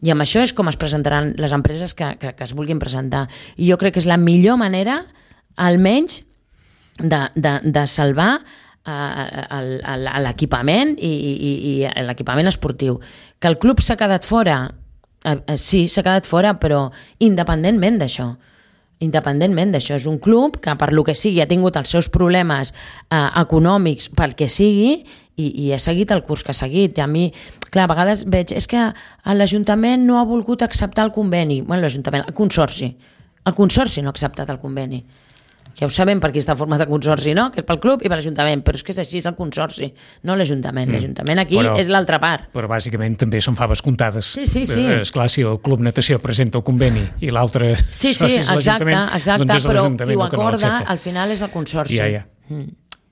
I amb això és com es presentaran les empreses que, que, que es vulguin presentar. I jo crec que és la millor manera, almenys, de, de, de salvar a l'equipament i, i, i l'equipament esportiu. Que el club s'ha quedat fora, eh, sí, s'ha quedat fora, però independentment d'això, independentment d'això, és un club que per lo que sigui ha tingut els seus problemes eh, econòmics pel que sigui i, i ha seguit el curs que ha seguit. I a mi, clar, a vegades veig, és que l'Ajuntament no ha volgut acceptar el conveni. Bueno, l'Ajuntament, el consorci. El consorci no ha acceptat el conveni. Ja ho sabem per qui està format el consorci, no? Que és pel club i per l'Ajuntament, però és que és així, és el consorci, no l'Ajuntament. Mm. L'Ajuntament aquí però, és l'altra part. Però bàsicament també són faves comptades. Sí, sí, sí. Esclar, si el Club Natació presenta el conveni i l'altre sí, sí, soci és l'Ajuntament, exacte, doncs és però l'Ajuntament qui ho el que no acorda, l'accepta. al final és el consorci. Ja, ja. Mm.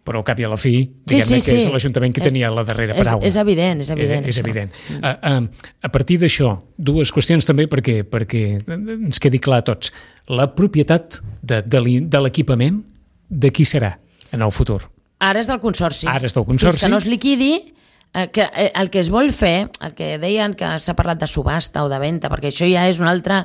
Però al cap i a la fi, sí, diguem-ne sí, que és sí. l'Ajuntament que tenia la darrera és, paraula. És evident, és evident. És, és evident. Mm. A, a, a partir d'això, dues qüestions també perquè, perquè ens quedi clar a tots. La propietat de, de l'equipament, de qui serà en el futur? Ara és del consorci. Ara és del consorci. Fins que no es liquidi, eh, que, eh, el que es vol fer, el que deien que s'ha parlat de subhasta o de venda, perquè això ja és una altra,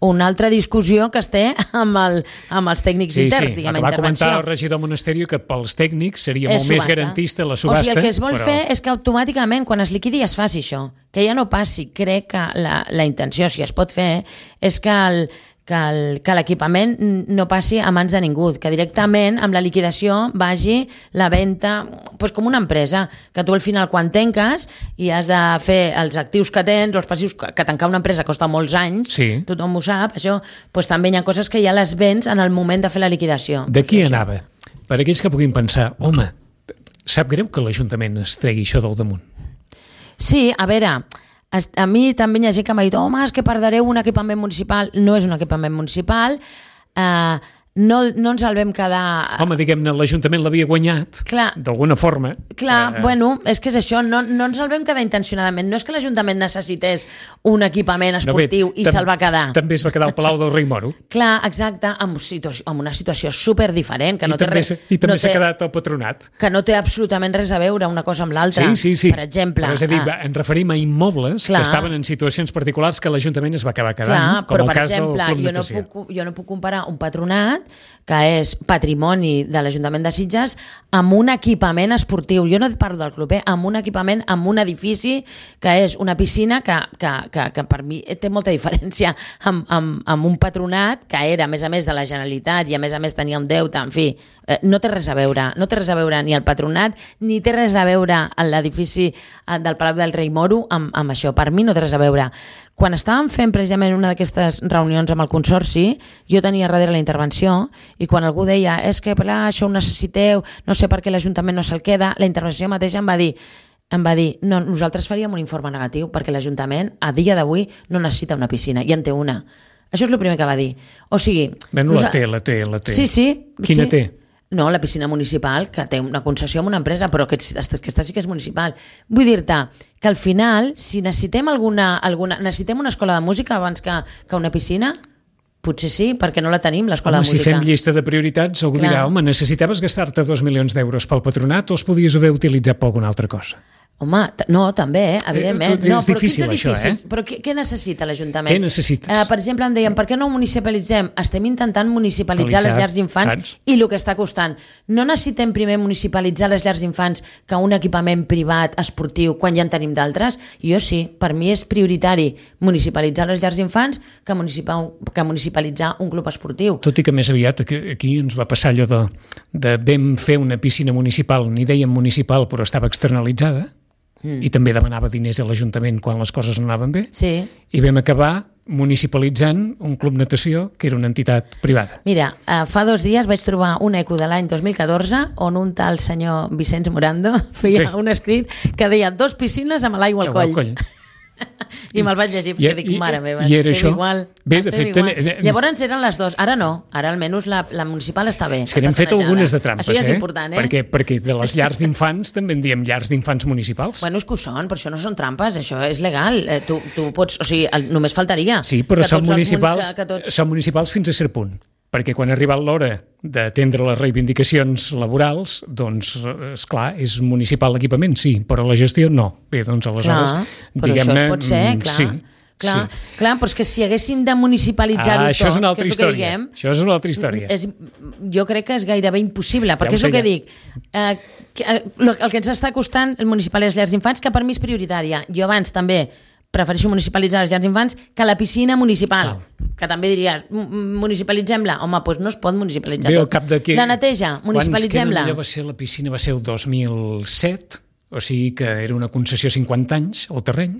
una altra discussió que es té amb, el, amb els tècnics sí, interns, sí. diguem, va intervenció. comentar el regidor Monasterio que pels tècnics seria és molt subhasta. més garantista la subhasta. O sigui, el que es vol però... fer és que automàticament, quan es liquidi, es faci això. Que ja no passi. Crec que la, la intenció, si es pot fer, és que el que l'equipament no passi a mans de ningú, que directament amb la liquidació vagi la venda, doncs com una empresa, que tu al final quan tanques i has de fer els actius que tens, els passius, que tancar una empresa costa molts anys, sí. Tothom ho sap, això, doncs també hi ha coses que ja les vens en el moment de fer la liquidació. De qui doncs anava? Per aquells que puguin pensar, home, sap greu que l'Ajuntament es tregui això del damunt. Sí, a veure, a mi també hi ha gent que m'ha dit, home, és que perdreu un equipament municipal. No és un equipament municipal, eh, no, no ens el vam quedar... Home, diguem-ne, l'Ajuntament l'havia guanyat, d'alguna forma. Clar, eh... bueno, és que és això, no, no ens el vam quedar intencionadament. No és que l'Ajuntament necessités un equipament esportiu no, bé, i se'l va quedar. També es va quedar al Palau del Rei Moro. Clar, exacte, amb, situació, amb una situació superdiferent. Que no I té també, res, i també no s'ha té, quedat al Patronat. Que no té absolutament res a veure una cosa amb l'altra. Sí, sí, sí. Per exemple. Però és a dir, ah, ens referim a immobles clar. Que estaven en situacions particulars que l'Ajuntament es va acabar quedant, clar, com però, el per cas exemple, del Club jo no, puc, jo no puc comparar un patronat que és patrimoni de l'Ajuntament de Sitges, amb un equipament esportiu. Jo no et parlo del club, eh? Amb un equipament, amb un edifici, que és una piscina que, que, que, que per mi té molta diferència amb, amb, amb un patronat que era, a més a més, de la Generalitat i a més a més tenia un deute, en fi, eh, no té res a veure, no té res a veure ni el patronat, ni té res a veure l'edifici del Palau del Rei Moro amb, amb això. Per mi no té res a veure. Quan estàvem fent precisament una d'aquestes reunions amb el Consorci, jo tenia darrere la intervenció i quan algú deia és que clar, això ho necessiteu, no sé per què l'Ajuntament no se'l queda, la intervenció mateixa em va dir em va dir, no, nosaltres faríem un informe negatiu perquè l'Ajuntament a dia d'avui no necessita una piscina, i en té una. Això és el primer que va dir. O sigui... Bé, no, la té, la té, la té. Sí, sí. Quina sí. té? No, la piscina municipal, que té una concessió amb una empresa, però que aquesta sí que és municipal. Vull dir-te que al final, si necessitem alguna, alguna necessitem una escola de música abans que, que una piscina, potser sí, perquè no la tenim, l'escola home, de música. Si fem llista de prioritats, algú Clar. dirà, home, necessitaves gastar-te dos milions d'euros pel patronat o els podies haver utilitzat per alguna altra cosa? Home, no, també, eh? Evidentment. Eh, no, és difícil, però això, eh? Però què, què necessita l'Ajuntament? Què necessites? Eh, per exemple, em deien, per què no ho municipalitzem? Estem intentant municipalitzar les llars d'infants i el que està costant. No necessitem primer municipalitzar les llars d'infants que un equipament privat esportiu quan ja en tenim d'altres? Jo sí, per mi és prioritari municipalitzar les llars d'infants que, que municipalitzar un club esportiu. Tot i que més aviat aquí ens va passar allò de, de vam fer una piscina municipal, ni dèiem municipal, però estava externalitzada, Mm. i també demanava diners a l'Ajuntament quan les coses no anaven bé, sí. i vam acabar municipalitzant un club natació que era una entitat privada. Mira, eh, fa dos dies vaig trobar un eco de l'any dos mil catorze on un tal senyor Vicenç Morando feia sí. un escrit que deia dos piscines amb l'aigua al coll. Al coll. I me'l vaig llegir perquè I, dic, mare meva, i estem això? igual. Bé, estem de fet, igual. ten... Llavors eren les dues, ara no, ara almenys la, la municipal està bé. És que n'hem fet algunes de trampes, això ja és eh? important, eh? Perquè, perquè de les llars d'infants també en diem llars d'infants municipals. Bueno, és que ho són, però això no són trampes, això és legal. Eh, tu, tu pots, o sigui, el, només faltaria. Sí, però són municipals, que, que tots... són municipals fins a cert punt. Perquè quan ha arribat l'hora d'atendre les reivindicacions laborals, doncs, esclar, és municipal l'equipament, sí, però la gestió no. Bé, doncs, aleshores, clar, però diguem-ne... això pot ser, clar. Sí, clar, sí. clar, però és que si haguessin de municipalitzar-ho ah, tot... Això és una altra és història. diguem, això és una altra història. És, jo crec que és gairebé impossible, perquè ja és el que ja. dic. Eh, que, eh, el que ens està costant el municipal i les llars d'infants, que per mi és prioritària. Jo abans també prefereixo municipalitzar les llars d'infants que la piscina municipal, ah. que també diries, municipalitzem-la. Home, doncs no es pot municipalitzar Bé, tot. Cap de que... La neteja, municipalitzem-la. Va ser, la piscina va ser el dos mil set, o sigui que era una concessió cinquanta anys, el terreny.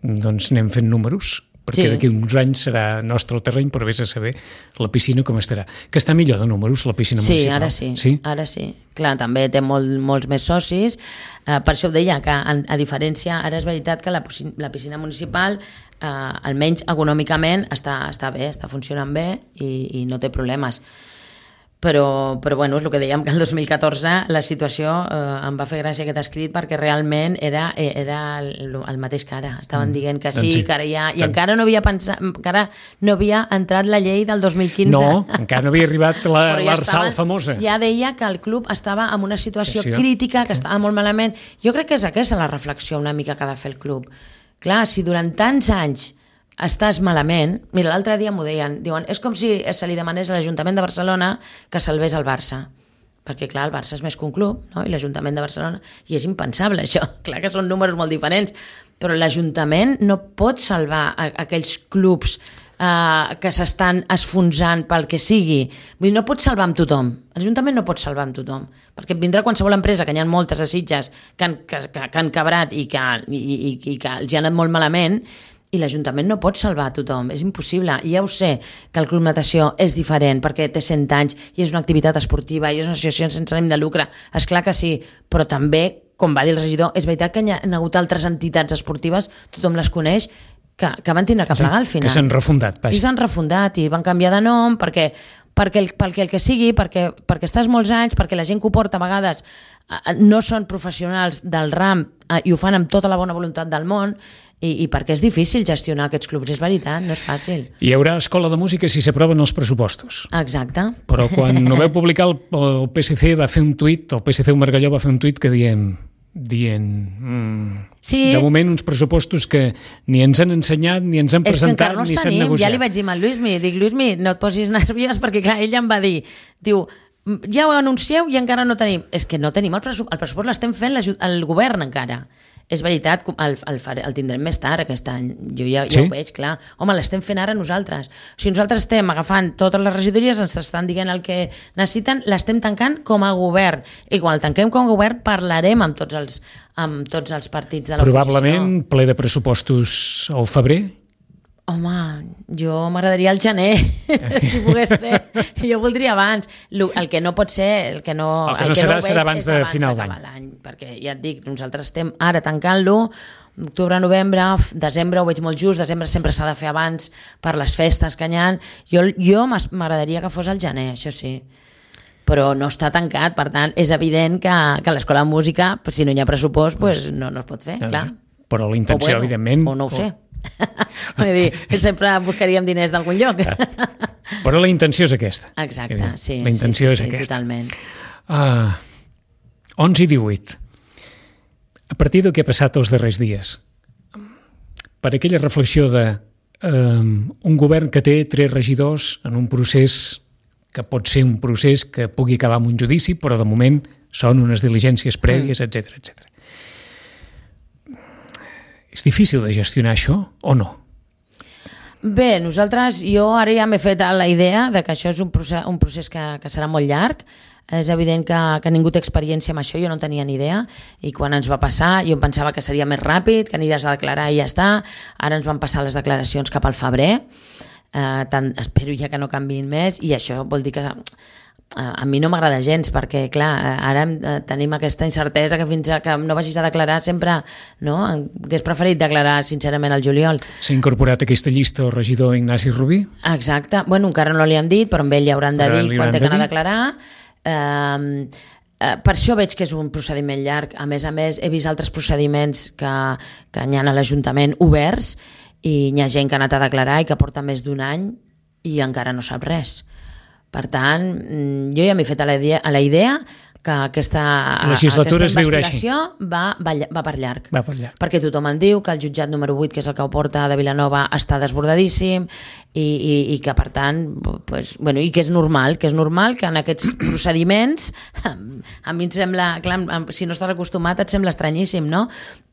Doncs anem fent números, perquè sí. d'aquí uns anys serà nostre el terreny, però vés a saber la piscina com estarà. Que està millor de números, la piscina sí, municipal. Ara sí, sí, ara sí. Clar, també té molt, molts més socis. Uh, per això ho deia, que a, a diferència, ara és veritat que la, la piscina municipal, uh, almenys econòmicament, està, està bé, està funcionant bé i, i no té problemes. Però, però bueno, és el que dèiem, que el dos mil catorze la situació eh, em va fer gràcia aquest escrit perquè realment era, era el, el mateix que ara. Estaven dient que sí, sí. que ara ja... I Tant. encara no havia pensat, encara no havia entrat la llei del dos mil quinze. No, encara no havia arribat la, ja l'Arsal estaven, famosa. Ja deia que el club estava en una situació sí, crítica, que estava molt malament. Jo crec que és aquesta la reflexió una mica que ha de fer el club. Clar, si durant tants anys estàs malament... Mira, l'altre dia m'ho deien, diuen, és com si se li demanés a l'Ajuntament de Barcelona que salvés el Barça. Perquè, clar, el Barça és més que un club, no? I l'Ajuntament de Barcelona... I és impensable, això. Clar que són números molt diferents, però l'Ajuntament no pot salvar a, a aquells clubs eh, que s'estan esfonsant pel que sigui. Vull dir, no pot salvar amb tothom. L'Ajuntament no pot salvar amb tothom, perquè vindrà qualsevol empresa, que n'hi ha moltes a Sitges, que han, que, que, que han quebrat i que, i, i, i que els hi ha anat molt malament, i l'Ajuntament no pot salvar a tothom, és impossible. I ja ho sé, que el Club Natació és diferent, perquè té cent anys i és una activitat esportiva i és una associació sense ànim de lucre. És clar que sí, però també, com va dir el regidor, és veritat que hi ha hagut altres entitats esportives, tothom les coneix, que, que van tindre que plegar al final. Que s'han refundat. I s'han refundat i van canviar de nom perquè, perquè, el, perquè el que sigui, perquè, perquè estàs molts anys, perquè la gent que ho porta a vegades no són professionals del ram i ho fan amb tota la bona voluntat del món, I, i perquè és difícil gestionar aquests clubs, és veritat, no és fàcil. Hi haurà escola de música si s'aproven els pressupostos. Exacte. Però quan ho vau publicar el, el P S C va fer un tuit, el P S C Margalló va fer un tuit que diem dient mm, sí. de moment uns pressupostos que ni ens han ensenyat, ni ens han presentat, no ni s'han tenim. negociat. Ja li vaig dir al Lluïsmi, dic, Lluïsmi, no et posis nerviós, perquè clar, ell em va dir, diu, ja ho anuncieu i encara no tenim. És que no tenim el pressupost, el pressupost l'estem fent el govern encara. És veritat, el, el, el tindrem més tard aquest any, jo ja, ja sí? ho veig, clar. Home, l'estem fent ara nosaltres. O sigui, nosaltres estem agafant totes les regidories, ens estan dient el que necessiten, l'estem tancant com a govern. I quan el tanquem com a govern parlarem amb tots els, amb tots els partits de l'oposició. Probablement ple de pressupostos al febrer? Home, jo m'agradaria el gener, si pogués ser. Jo voldria abans. El que no pot ser... El que no, el que no el que serà, no serà abans de final d'any. Perquè ja et dic, nosaltres estem ara tancant-lo, octubre, novembre, desembre ho veig molt just, desembre sempre s'ha de fer abans per les festes que hi ha. Jo, jo m'agradaria que fos el gener, això sí. Però no està tancat, per tant, és evident que, que a l'Escola de Música, si no hi ha pressupost, pues no, no es pot fer, clar. Però la intenció, bueno, evidentment... O no ho sé. Vull dir, sempre buscaríem diners d'algun lloc. Però la intenció és aquesta. Exacte, sí. La intenció sí, sí, és sí, aquesta. Totalment. Uh, onze i divuit. A partir del que ha passat els darrers dies, per aquella reflexió de um, un govern que té tres regidors en un procés que pot ser un procés que pugui acabar amb un judici, però de moment són unes diligències prèvies, etcètera, etcètera. És difícil de gestionar això o no? Bé, nosaltres, jo ara ja m'he fet la idea de que això és un procés, un procés que, que serà molt llarg. És evident que, que ningú té experiència amb això, jo no tenia ni idea, i quan ens va passar jo em pensava que seria més ràpid, que aniràs a declarar i ja està. Ara ens van passar les declaracions cap al febrer, eh, tant, espero ja que no canviïn més, i això vol dir que a mi no m'agrada gens, perquè clar, ara tenim aquesta incertesa que fins que no vagis a declarar sempre, no? Hauria preferit declarar sincerament al juliol. S'ha incorporat a aquesta llista el regidor Ignasi Rubí? Exacte, bueno, encara no li han dit, però amb ell li hauran de dir quan té que anar a declarar. Eh, per això veig que és un procediment llarg. A més a més, he vist altres procediments que, que hi ha a l'Ajuntament oberts, i hi ha gent que ha anat a declarar i que porta més d'un any i encara no sap res. Per tant, jo ja m'he fet a la idea, a la idea que aquesta, aquesta investigació va, va, va per llarg. Va per llarg. Perquè tothom en diu que el jutjat número vuit, que és el que ho porta de Vilanova, està desbordadíssim i, i, i que, per tant, pues, bueno, i que és normal, que és normal que en aquests procediments, a mi em sembla, clar, si no estàs acostumat et sembla estranyíssim, no?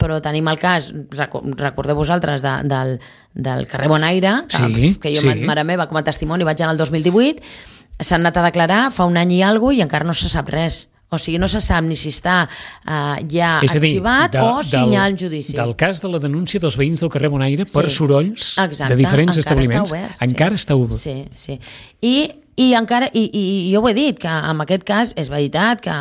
Però tenim el cas, recordeu vosaltres, de, del, del carrer Bonaire, que, sí, que jo, sí. Mare meva, com a testimoni, vaig anar el dos mil divuit, s'han anat a declarar fa un any i alguna cosa i encara no se sap res. O sigui, no se sap ni si està uh, ja dir, arxivat de, o si hi ha el judici. Del cas de la denúncia dels veïns del carrer Bonaire per sí. sorolls Exacte. De diferents encara establiments, està obert, encara sí. està obert. Sí, sí. I, i, encara, i, i jo ho he dit, que en aquest cas és veritat que,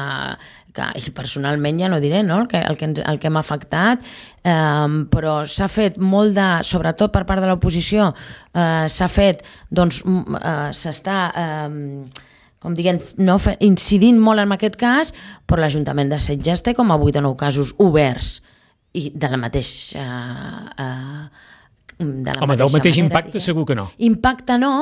que i personalment ja no diré, no? el que, el que, ens, el que m'ha afectat, eh, però s'ha fet molt de, sobretot per part de l'oposició, eh, s'ha fet, doncs, eh, s'està... Eh, com diguem, no, incidint molt en aquest cas, però l'Ajuntament de Sitges té com a vuit o nou casos oberts i de la mateixa... Eh, de la Home, mateixa del mateix manera, impacte diguem. Segur que no. Impacte no,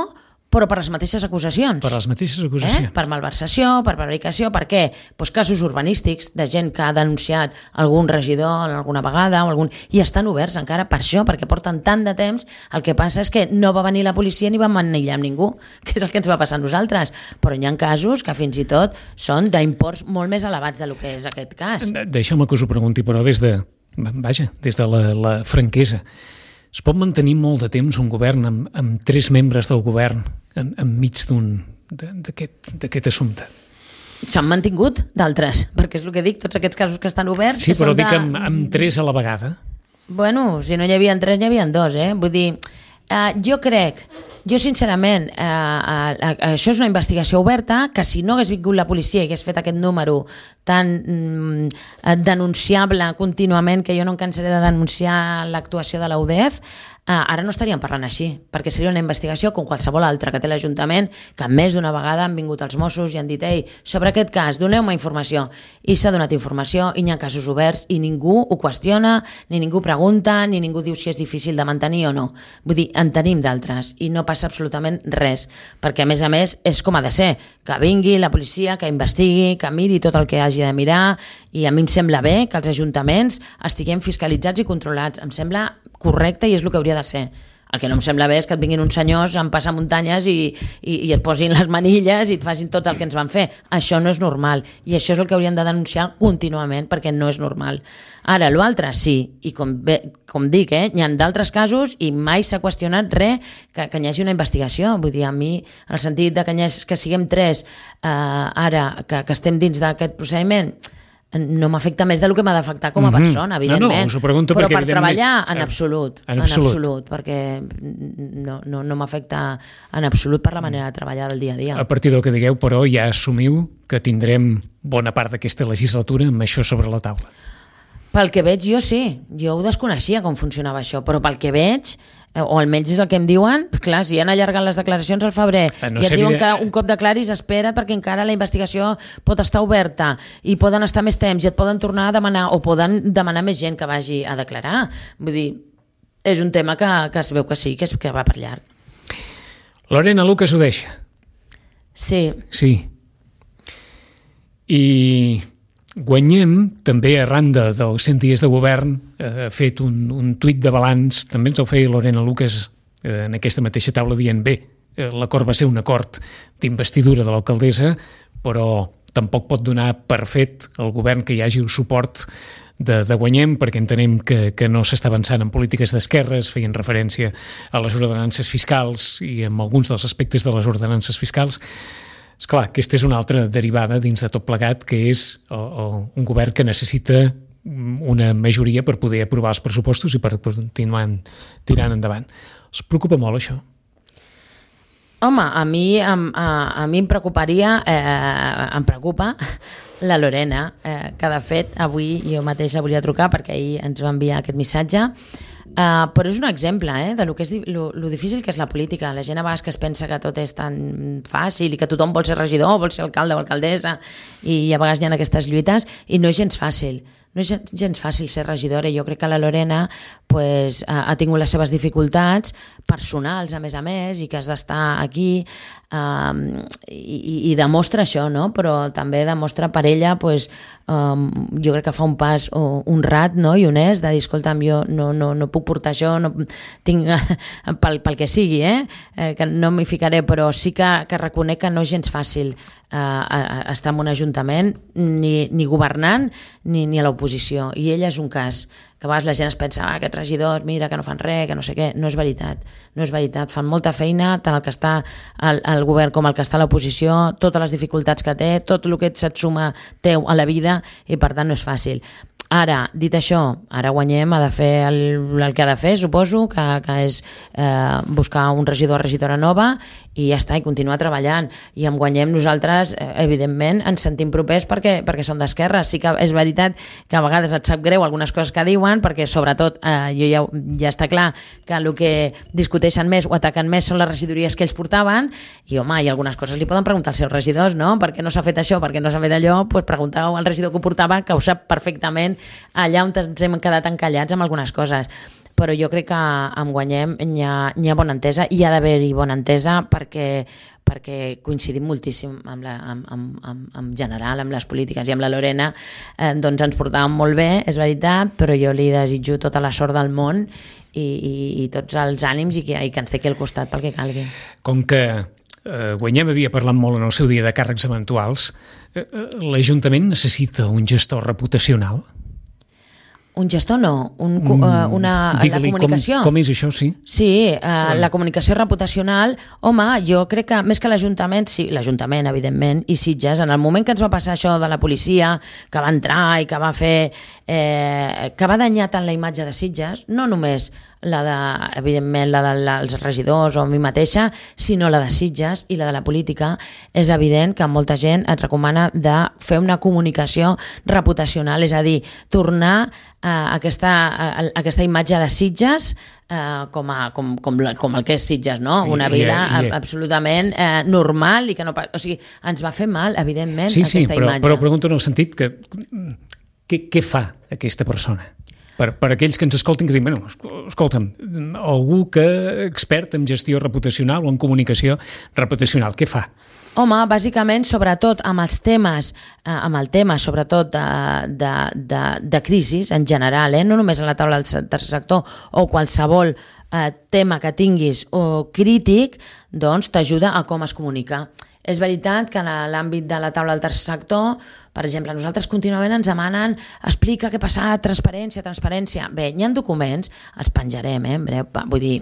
però per les mateixes acusacions. Per les mateixes acusacions. Eh? Per malversació, per prevaricació, per què? Pues casos urbanístics de gent que ha denunciat algun regidor alguna vegada o algun... i estan oberts encara per això, perquè porten tant de temps. El que passa és que no va venir la policia ni va manillar amb ningú, que és el que ens va passar a nosaltres. Però hi ha casos que fins i tot són d'imports molt més elevats del que és aquest cas. Deixa'm que us ho pregunti, però des de, vaja, des de la, la franquesa. Es pot mantenir molt de temps un govern amb, amb tres membres del govern en, enmig d'un d'aquest assumpte? S'han mantingut d'altres, perquè és el que dic, tots aquests casos que estan oberts... Sí, que però són dic de... amb, amb tres a la vegada. Bueno, si no hi havia tres, hi havia dos, eh? Vull dir, eh, jo crec... Jo, sincerament, eh, eh, això és una investigació oberta que si no hagués vingut la policia i hagués fet aquest número tan mm, denunciable contínuament, que jo no em cansaré de denunciar l'actuació de la U D E F, eh, ara no estaríem parlant així, perquè seria una investigació com qualsevol altra que té l'Ajuntament, que més d'una vegada han vingut els Mossos i han dit, ei, sobre aquest cas, doneu-me informació. I s'ha donat informació, i hi ha casos oberts, i ningú ho qüestiona, ni ningú pregunta, ni ningú diu si és difícil de mantenir o no. Vull dir, en tenim d'altres, i no passa passa absolutament res, perquè a més a més és com ha de ser, que vingui la policia, que investigui, que miri tot el que hagi de mirar, i a mi em sembla bé que els ajuntaments estiguem fiscalitzats i controlats, em sembla correcte i és el que hauria de ser. El que no em sembla bé és que et vinguin uns senyors amb passamuntanyes i, i, i et posin les manilles i et facin tot el que ens van fer. Això no és normal i això és el que hauríem de denunciar contínuament perquè no és normal. Ara, l'altre sí, i com, bé, com dic, eh, hi ha d'altres casos i mai s'ha qüestionat res que, que hi hagi una investigació. Vull dir, a mi, en el sentit de que, hagi, que siguem tres eh, ara, que, que estem dins d'aquest procediment, no m'afecta més del que m'ha d'afectar com a persona, evidentment. No, no, us ho pregunto però perquè, per treballar, en absolut, en en absolut, absolut perquè no, no, no m'afecta en absolut per la manera de treballar del dia a dia. A partir del que digueu, però, ja assumiu que tindrem bona part d'aquesta legislatura amb això sobre la taula. Pel que veig, jo sí. Jo ho desconeixia com funcionava això, però pel que veig, o almenys és el que em diuen, clar, si han allargat les declaracions al febrer no i et diuen que un cop declaris espera't perquè encara la investigació pot estar oberta i poden estar més temps i et poden tornar a demanar o poden demanar més gent que vagi a declarar. Vull dir, és un tema que, que es veu que sí, que, és, que va per llarg. Lorena Lucas ho deixa. Sí. Sí. I Guanyem, també arran de, dels cent dies de govern, ha fet un, un tuit de balanç, també ens el feia Lorena Lucas eh, en aquesta mateixa taula dient bé, eh, l'acord va ser un acord d'investidura de l'alcaldessa, però tampoc pot donar per fet al govern que hi hagi un suport de, de Guanyem, perquè entenem que, que no s'està avançant en polítiques d'esquerres, feien referència a les ordenances fiscals i en alguns dels aspectes de les ordenances fiscals. Esclar, aquesta és una altra derivada dins de tot plegat, que és o, o, un govern que necessita una majoria per poder aprovar els pressupostos i per continuar tirant endavant. Els preocupa molt això? Home, a mi, a, a, a mi em preocuparia, eh, em preocupa la Lorena, eh, que de fet avui jo mateixa volia trucar perquè ahir ens va enviar aquest missatge. Uh, però és un exemple eh, de lo, que és, lo, lo difícil que és la política. La gent a vegades que es pensa que tot és tan fàcil i que tothom vol ser regidor, vol ser alcalde o alcaldessa i a vegades hi ha aquestes lluites i no és gens fàcil. No és gens fàcil ser regidora i jo crec que la Lorena pues, ha, ha tingut les seves dificultats personals a més a més i que has d'estar aquí um, i, i demostra això, no? Però també demostra per ella pues, um, jo crec que fa un pas honrat no? I honest de dir, escolta'm, jo no, no, no puc portar això, no tinc pel, pel que sigui, eh? Eh, que no m'hi ficaré, però sí que, que reconec que no és gens fàcil eh, a, a estar en un ajuntament ni, ni governant ni, ni a l'oposició, i ella és un cas que a vegades la gent es pensa, ah, aquests regidors, mira, que no fan res, que no sé què. No és veritat, no és veritat. Fan molta feina, tant el que està al, al govern com el que està a l'oposició, totes les dificultats que té, tot el que se't suma teu a la vida, i per tant no és fàcil. Ara, dit això, ara Guanyem ha de fer el, el que ha de fer, suposo, que, que és eh, buscar un regidor o regidora nova i ja està, i continuar treballant. I amb Guanyem nosaltres, eh, evidentment, ens sentim propers perquè, perquè són d'esquerra. Sí que és veritat que a vegades et sap greu algunes coses que diuen, perquè sobretot eh, jo ja, ja està clar que el que discuteixen més o ataquen més són les regidories que ells portaven, i home, i algunes coses li poden preguntar als seus regidors, no? Per què no s'ha fet això, per què no s'ha fet allò? Doncs preguntau al regidor que ho portava, que ho sap perfectament allà on ens hem quedat encallats amb algunes coses. Però jo crec que amb Guanyem hi ha, hi ha bona entesa, i hi ha d'haver-hi bona entesa perquè, perquè coincidim moltíssim amb, la, amb, amb, amb, amb general, amb les polítiques, i amb la Lorena eh, doncs ens portàvem molt bé, és veritat, però jo li desitjo tota la sort del món i, i, i tots els ànims i que, i que ens té aquí al costat pel que calgui. Com que eh, Guanyem havia parlat molt en el seu dia de càrrecs eventuals, eh, l'Ajuntament necessita un gestor reputacional? Un gestor no, un, mm, uh, una, la comunicació. Com, com és això, sí? Sí, uh, la comunicació reputacional, home, jo crec que més que l'Ajuntament, sí, l'Ajuntament, evidentment, i Sitges, en el moment que ens va passar això de la policia, que va entrar i que va fer, eh, que va danyar tant la imatge de Sitges, no només la de, evidentment, la dels regidors o a mi mateixa, sinó la de Sitges i la de la política, és evident que molta gent et recomana de fer una comunicació reputacional, és a dir, tornar a aquesta, a aquesta imatge de Sitges eh, com, a, com, com, la, com el que és Sitges, no? Una vida I, i, i, absolutament eh, normal i que no... O sigui, ens va fer mal, evidentment, sí, aquesta sí, però, imatge. Però pregunto en el sentit que què, què fa aquesta persona? Per, per aquells que ens escoltin que diuen, bueno, escolta'm, algú que expert en gestió reputacional o en comunicació reputacional, què fa? Home, bàsicament, sobretot amb els temes, eh, amb el tema, sobretot de, de, de, de crisis en general, eh? No només a la taula del tercer sector o qualsevol eh, tema que tinguis o crític, doncs t'ajuda a com es comunica. És veritat que en l'àmbit de la taula del tercer sector, per exemple, nosaltres contínuament ens demanen explica què passa, transparència, transparència. Bé, hi ha documents, els penjarem, eh, en breu, vull dir,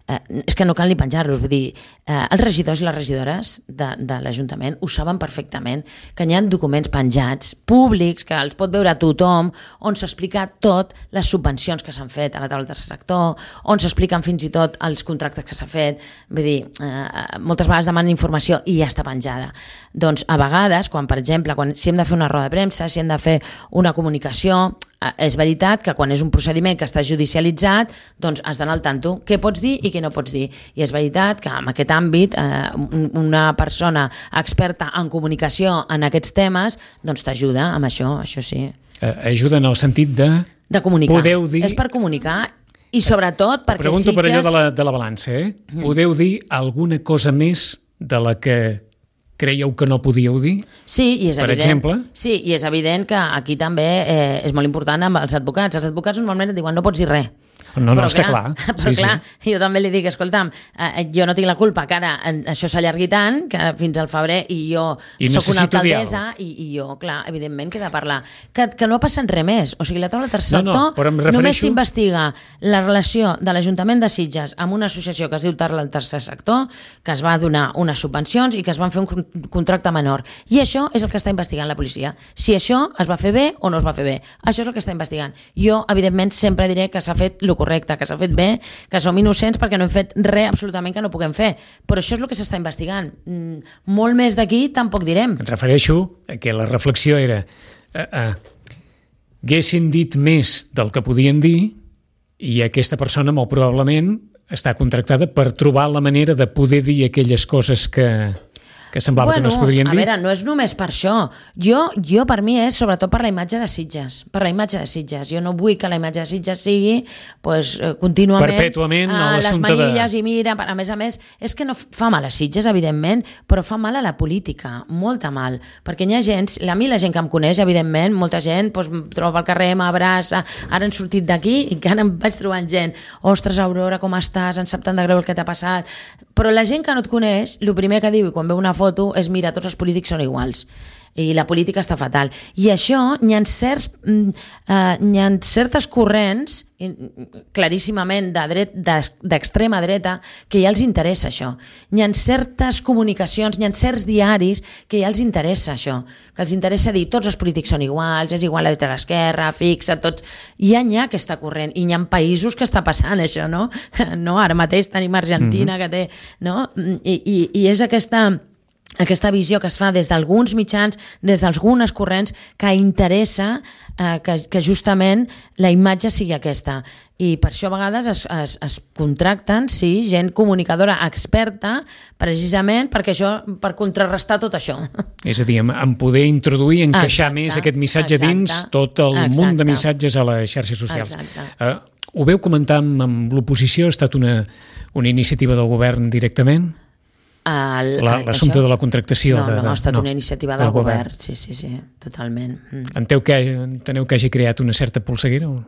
eh, és que no cal ni penjar-los, vull dir, eh, els regidors i les regidores de, de l'Ajuntament ho saben perfectament, que hi ha documents penjats, públics, que els pot veure tothom, on s'explica tot les subvencions que s'han fet a la taula del tercer sector, on s'expliquen fins i tot els contractes que s'ha fet, vull dir, eh, moltes vegades demanen informació i ja està penjada. Doncs a vegades, quan per exemple, quan, si hem de fer una roda de premsa, si hem de fer una comunicació, eh, és veritat que quan és un procediment que està judicialitzat, doncs has d'anar al tanto què pots dir i què no pots dir. I és veritat que en aquest àmbit eh, una persona experta en comunicació en aquests temes doncs t'ajuda amb això, això sí. Eh, ajuda en el sentit de... De comunicar. Podeu dir... És per comunicar i sobretot perquè Pregunto Sitges... per allò de la, de la balança, eh? Mm. Podeu dir alguna cosa més de la que creieu que no podíeu dir? Sí, i és per evident. exemple? Sí, i és evident que aquí també eh, és molt important amb els advocats. Els advocats normalment et diuen no pots dir res. No, no, però està clar. clar. Però sí, clar, sí. jo també li dic, escolta'm, eh, jo no tinc la culpa que ara això s'allargui tant, que fins al febrer i jo I soc una alcaldessa diàleg. i, i jo, clar, evidentment que he de parlar. Que, que no ha passat res més. O sigui, la taula del tercer No, no, sector però em refereixo- només s'investiga la relació de l'Ajuntament de Sitges amb una associació que es diu taula del tercer sector, que es va donar unes subvencions i que es van fer un con- contracte menor. I això és el que està investigant la policia. Si això es va fer bé o no es va fer bé. Això és el que està investigant. Jo, evidentment, sempre diré que s'ha fet el correcte, que s'ha fet bé, que som innocents perquè no hem fet res absolutament que no puguem fer. Però això és el que s'està investigant. Mm, molt més d'aquí tampoc direm. Em refereixo a que la reflexió era eh, eh, haguessin dit més del que podien dir i aquesta persona molt probablement està contractada per trobar la manera de poder dir aquelles coses que, que semblava bueno, que no es podrien a dir. veure, no és només per això. Jo, jo per mi és sobretot per la imatge de Sitges. Per la imatge de Sitges. Jo no vull que la imatge de Sitges sigui pues, contínuament Perpètuament a a les l'assumpte de... manilles i mira, a més a més, és que no fa mal a Sitges, evidentment, però fa mal a la política, molta mal. Perquè hi ha gent, a mi la gent que em coneix, evidentment, molta gent pues, em troba al carrer, m'abraça, ara han sortit d'aquí i encara em vaig trobant gent. Ostres, Aurora, com estàs? Em sap tant de greu el que t'ha passat. Però la gent que no et coneix, el primer que diu quan veu una foto és mira, tots els polítics són iguals i la política està fatal. I això, hi ha, certs, eh, hi ha certes corrents claríssimament de dret, d'extrema dreta que ja els interessa això. Hi ha certes comunicacions, hi ha certs diaris que ja els interessa això, que els interessa dir tots els polítics són iguals, és igual a dreta a l'esquerra, fixa, tots... Ja hi ha aquesta corrent i hi ha països que està passant això, no? no ara mateix tenim Argentina, mm-hmm. que té... No? I, i, i és aquesta... aquesta visió que es fa des d'alguns mitjans, des d'algunes corrents, que interessa eh, que, que justament la imatge sigui aquesta. I per això a vegades es, es, es contracten sí, gent comunicadora experta precisament perquè això, per contrarrestar tot això. És a dir, en, en poder introduir, encaixar exacte, més aquest missatge exacte, dins tot el exacte. munt de missatges a les xarxes socials. Uh, ho veu comentar amb, amb l'oposició? Ha estat una, una iniciativa del govern directament? L'assumpte de la contractació. No, de, de, no, ha estat no, una iniciativa del, del govern. govern, sí, sí, sí, totalment. Mm. Enteu que, enteneu que hagi creat una certa polseguera? O...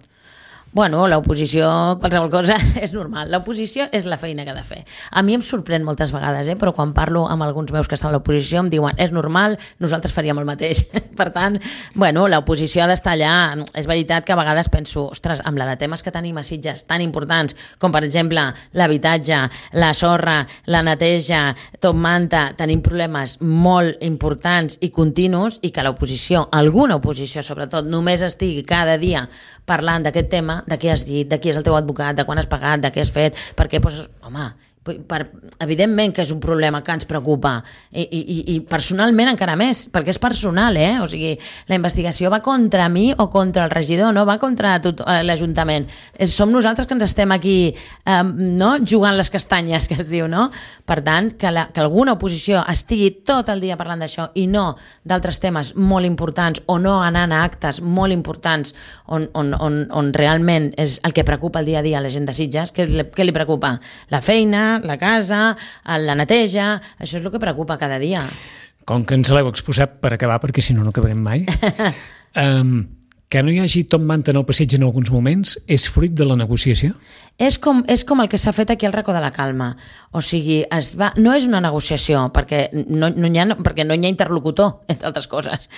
Bueno, l'oposició, qualsevol cosa, és normal. L'oposició és la feina que ha de fer. A mi em sorprèn moltes vegades, eh? Però quan parlo amb alguns meus que estan a l'oposició em diuen és normal, nosaltres faríem el mateix. Per tant, bueno, l'oposició ha d'estar allà. És veritat que a vegades penso, ostres, amb la de temes que tenim a Sitges tan importants, com per exemple l'habitatge, la sorra, la neteja, tot manta, tenim problemes molt importants i continus i que l'oposició, alguna oposició sobretot, només estigui cada dia parlant d'aquest tema, de què has dit, de qui és el teu advocat, de quan has pagat, de què has fet, perquè, doncs, home, Per, evidentment que és un problema que ens preocupa i, i, i personalment encara més, perquè és personal, eh? O sigui, la investigació va contra mi o contra el regidor, no va contra tot l'Ajuntament. Som nosaltres que ens estem aquí eh, no? jugant les castanyes, que es diu, no? Per tant, que, la, que alguna oposició estigui tot el dia parlant d'això i no d'altres temes molt importants o no anant a actes molt importants on, on, on, on realment és el que preocupa el dia a dia a la gent de Sitges. Què, què li preocupa? La feina, la casa, la neteja, això és el que preocupa cada dia. Com que ens l'heu exposat per acabar, perquè si no no acabarem mai, um, que no hi hagi Top Manta en el passeig en alguns moments és fruit de la negociació? És com, és com el que s'ha fet aquí al Racó de la Calma. O sigui, es va, no és una negociació, perquè no, no, hi ha, perquè no hi ha interlocutor, entre altres coses.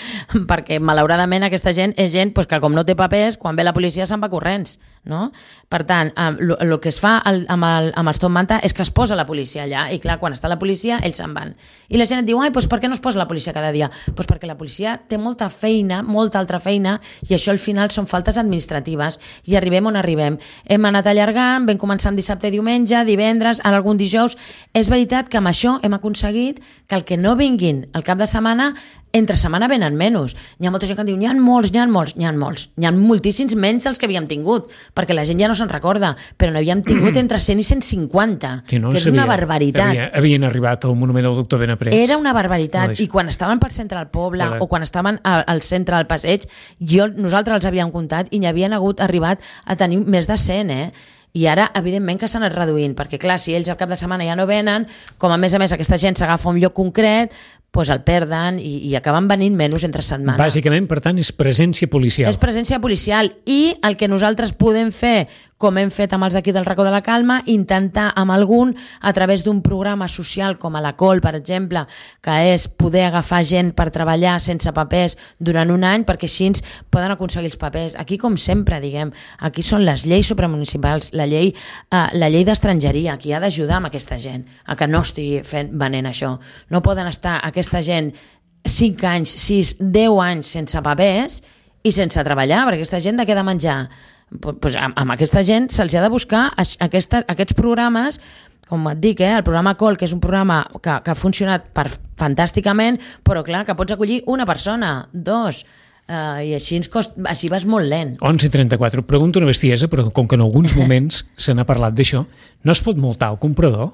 Perquè, malauradament, aquesta gent és gent pues, que com no té papers, quan ve la policia se'n va corrents. No? Per tant, el que es fa el, amb, el, amb els Top Manta és que es posa la policia allà, i clar, quan està la policia, ells se'n van. I la gent et diu, ai, pues, per què no es posa la policia cada dia? Pues perquè la policia té molta feina, molta altra feina, i això al final són faltes administratives, i arribem on arribem. Hem anat allargant, vam començar amb dissabte i diumenge, divendres, ara algun dijous. És veritat que amb això hem aconseguit que el que no vinguin al cap de setmana, entre setmana venen menys. Hi ha molta gent que diu, n'hi ha molts, n'hi ha molts, n'hi ha molts. N'hi ha moltíssims menys dels que havíem tingut, perquè la gent ja no se'n recorda, però n'havíem tingut entre cent i cent cinquanta, que, no que és sabia. Una barbaritat. Havia, havien arribat al monument del doctor Benaprés. Era una barbaritat, no, i quan estaven pel centre del poble Hola. O quan estaven al, al centre del passeig, jo, nosaltres els havíem comptat i n'hi havien hagut arribat a tenir més de cent, eh? I ara, evidentment, que s'han anat reduint, perquè clar, si ells al cap de setmana ja no venen, com a més a més aquesta gent s'agafa un lloc concret, doncs el perden i, i acaben venint menys entre setmana. Bàsicament, per tant, és presència policial. És presència policial, i el que nosaltres podem fer, com hem fet amb els d'aquí del Racó de la Calma, intentar amb algun, a través d'un programa social com a la Col, per exemple, que és poder agafar gent per treballar sense papers durant un any, perquè així poden aconseguir els papers. Aquí, com sempre, diguem, aquí són les lleis supramunicipals, la llei, eh, la llei d'estrangeria, qui ha d'ajudar amb aquesta gent a que no estigui fent, venent això. No poden estar aquesta gent cinc anys, sis, deu anys sense papers i sense treballar, perquè aquesta gent de què ha de menjar? Pues amb, amb aquesta gent se'ls ha de buscar aquesta, aquests programes, com et dic, eh, el programa Col, que és un programa que, que ha funcionat per, fantàsticament, però clar, que pots acollir una persona, dos, eh, i així, ens cost, així vas molt lent. onze i trenta-quatre, pregunto una bestiesa, però com que en alguns moments se n'ha parlat d'això, no es pot multar el comprador?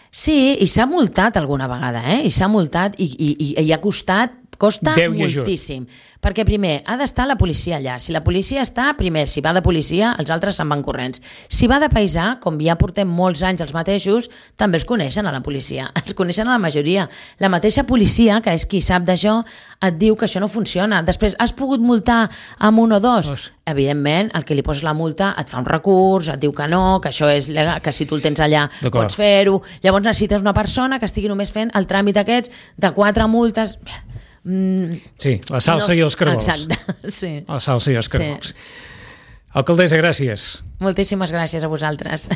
Sí, i s'ha multat alguna vegada, eh? I s'ha multat i, i, i, i ha costat, costa moltíssim. Perquè primer, ha d'estar la policia allà. Si la policia està, primer, si va de policia, els altres se'n van corrents. Si va de paisà, com ja portem molts anys els mateixos, també els coneixen a la policia. Els coneixen a la majoria. La mateixa policia, que és qui sap d'això, et diu que això no funciona. Després, has pogut multar amb un o dos? Dos. Evidentment, el que li poses la multa et fa un recurs, et diu que no, que això és legal, que si tu el tens allà pots fer-ho. Llavors necessites una persona que estigui només fent el tràmit aquests de quatre multes. Mm, sí, la salsa no, i els cargols. Exacte, sí. La salsa i els cargols. Sí. Alcaldessa, gràcies. Moltíssimes gràcies a vosaltres.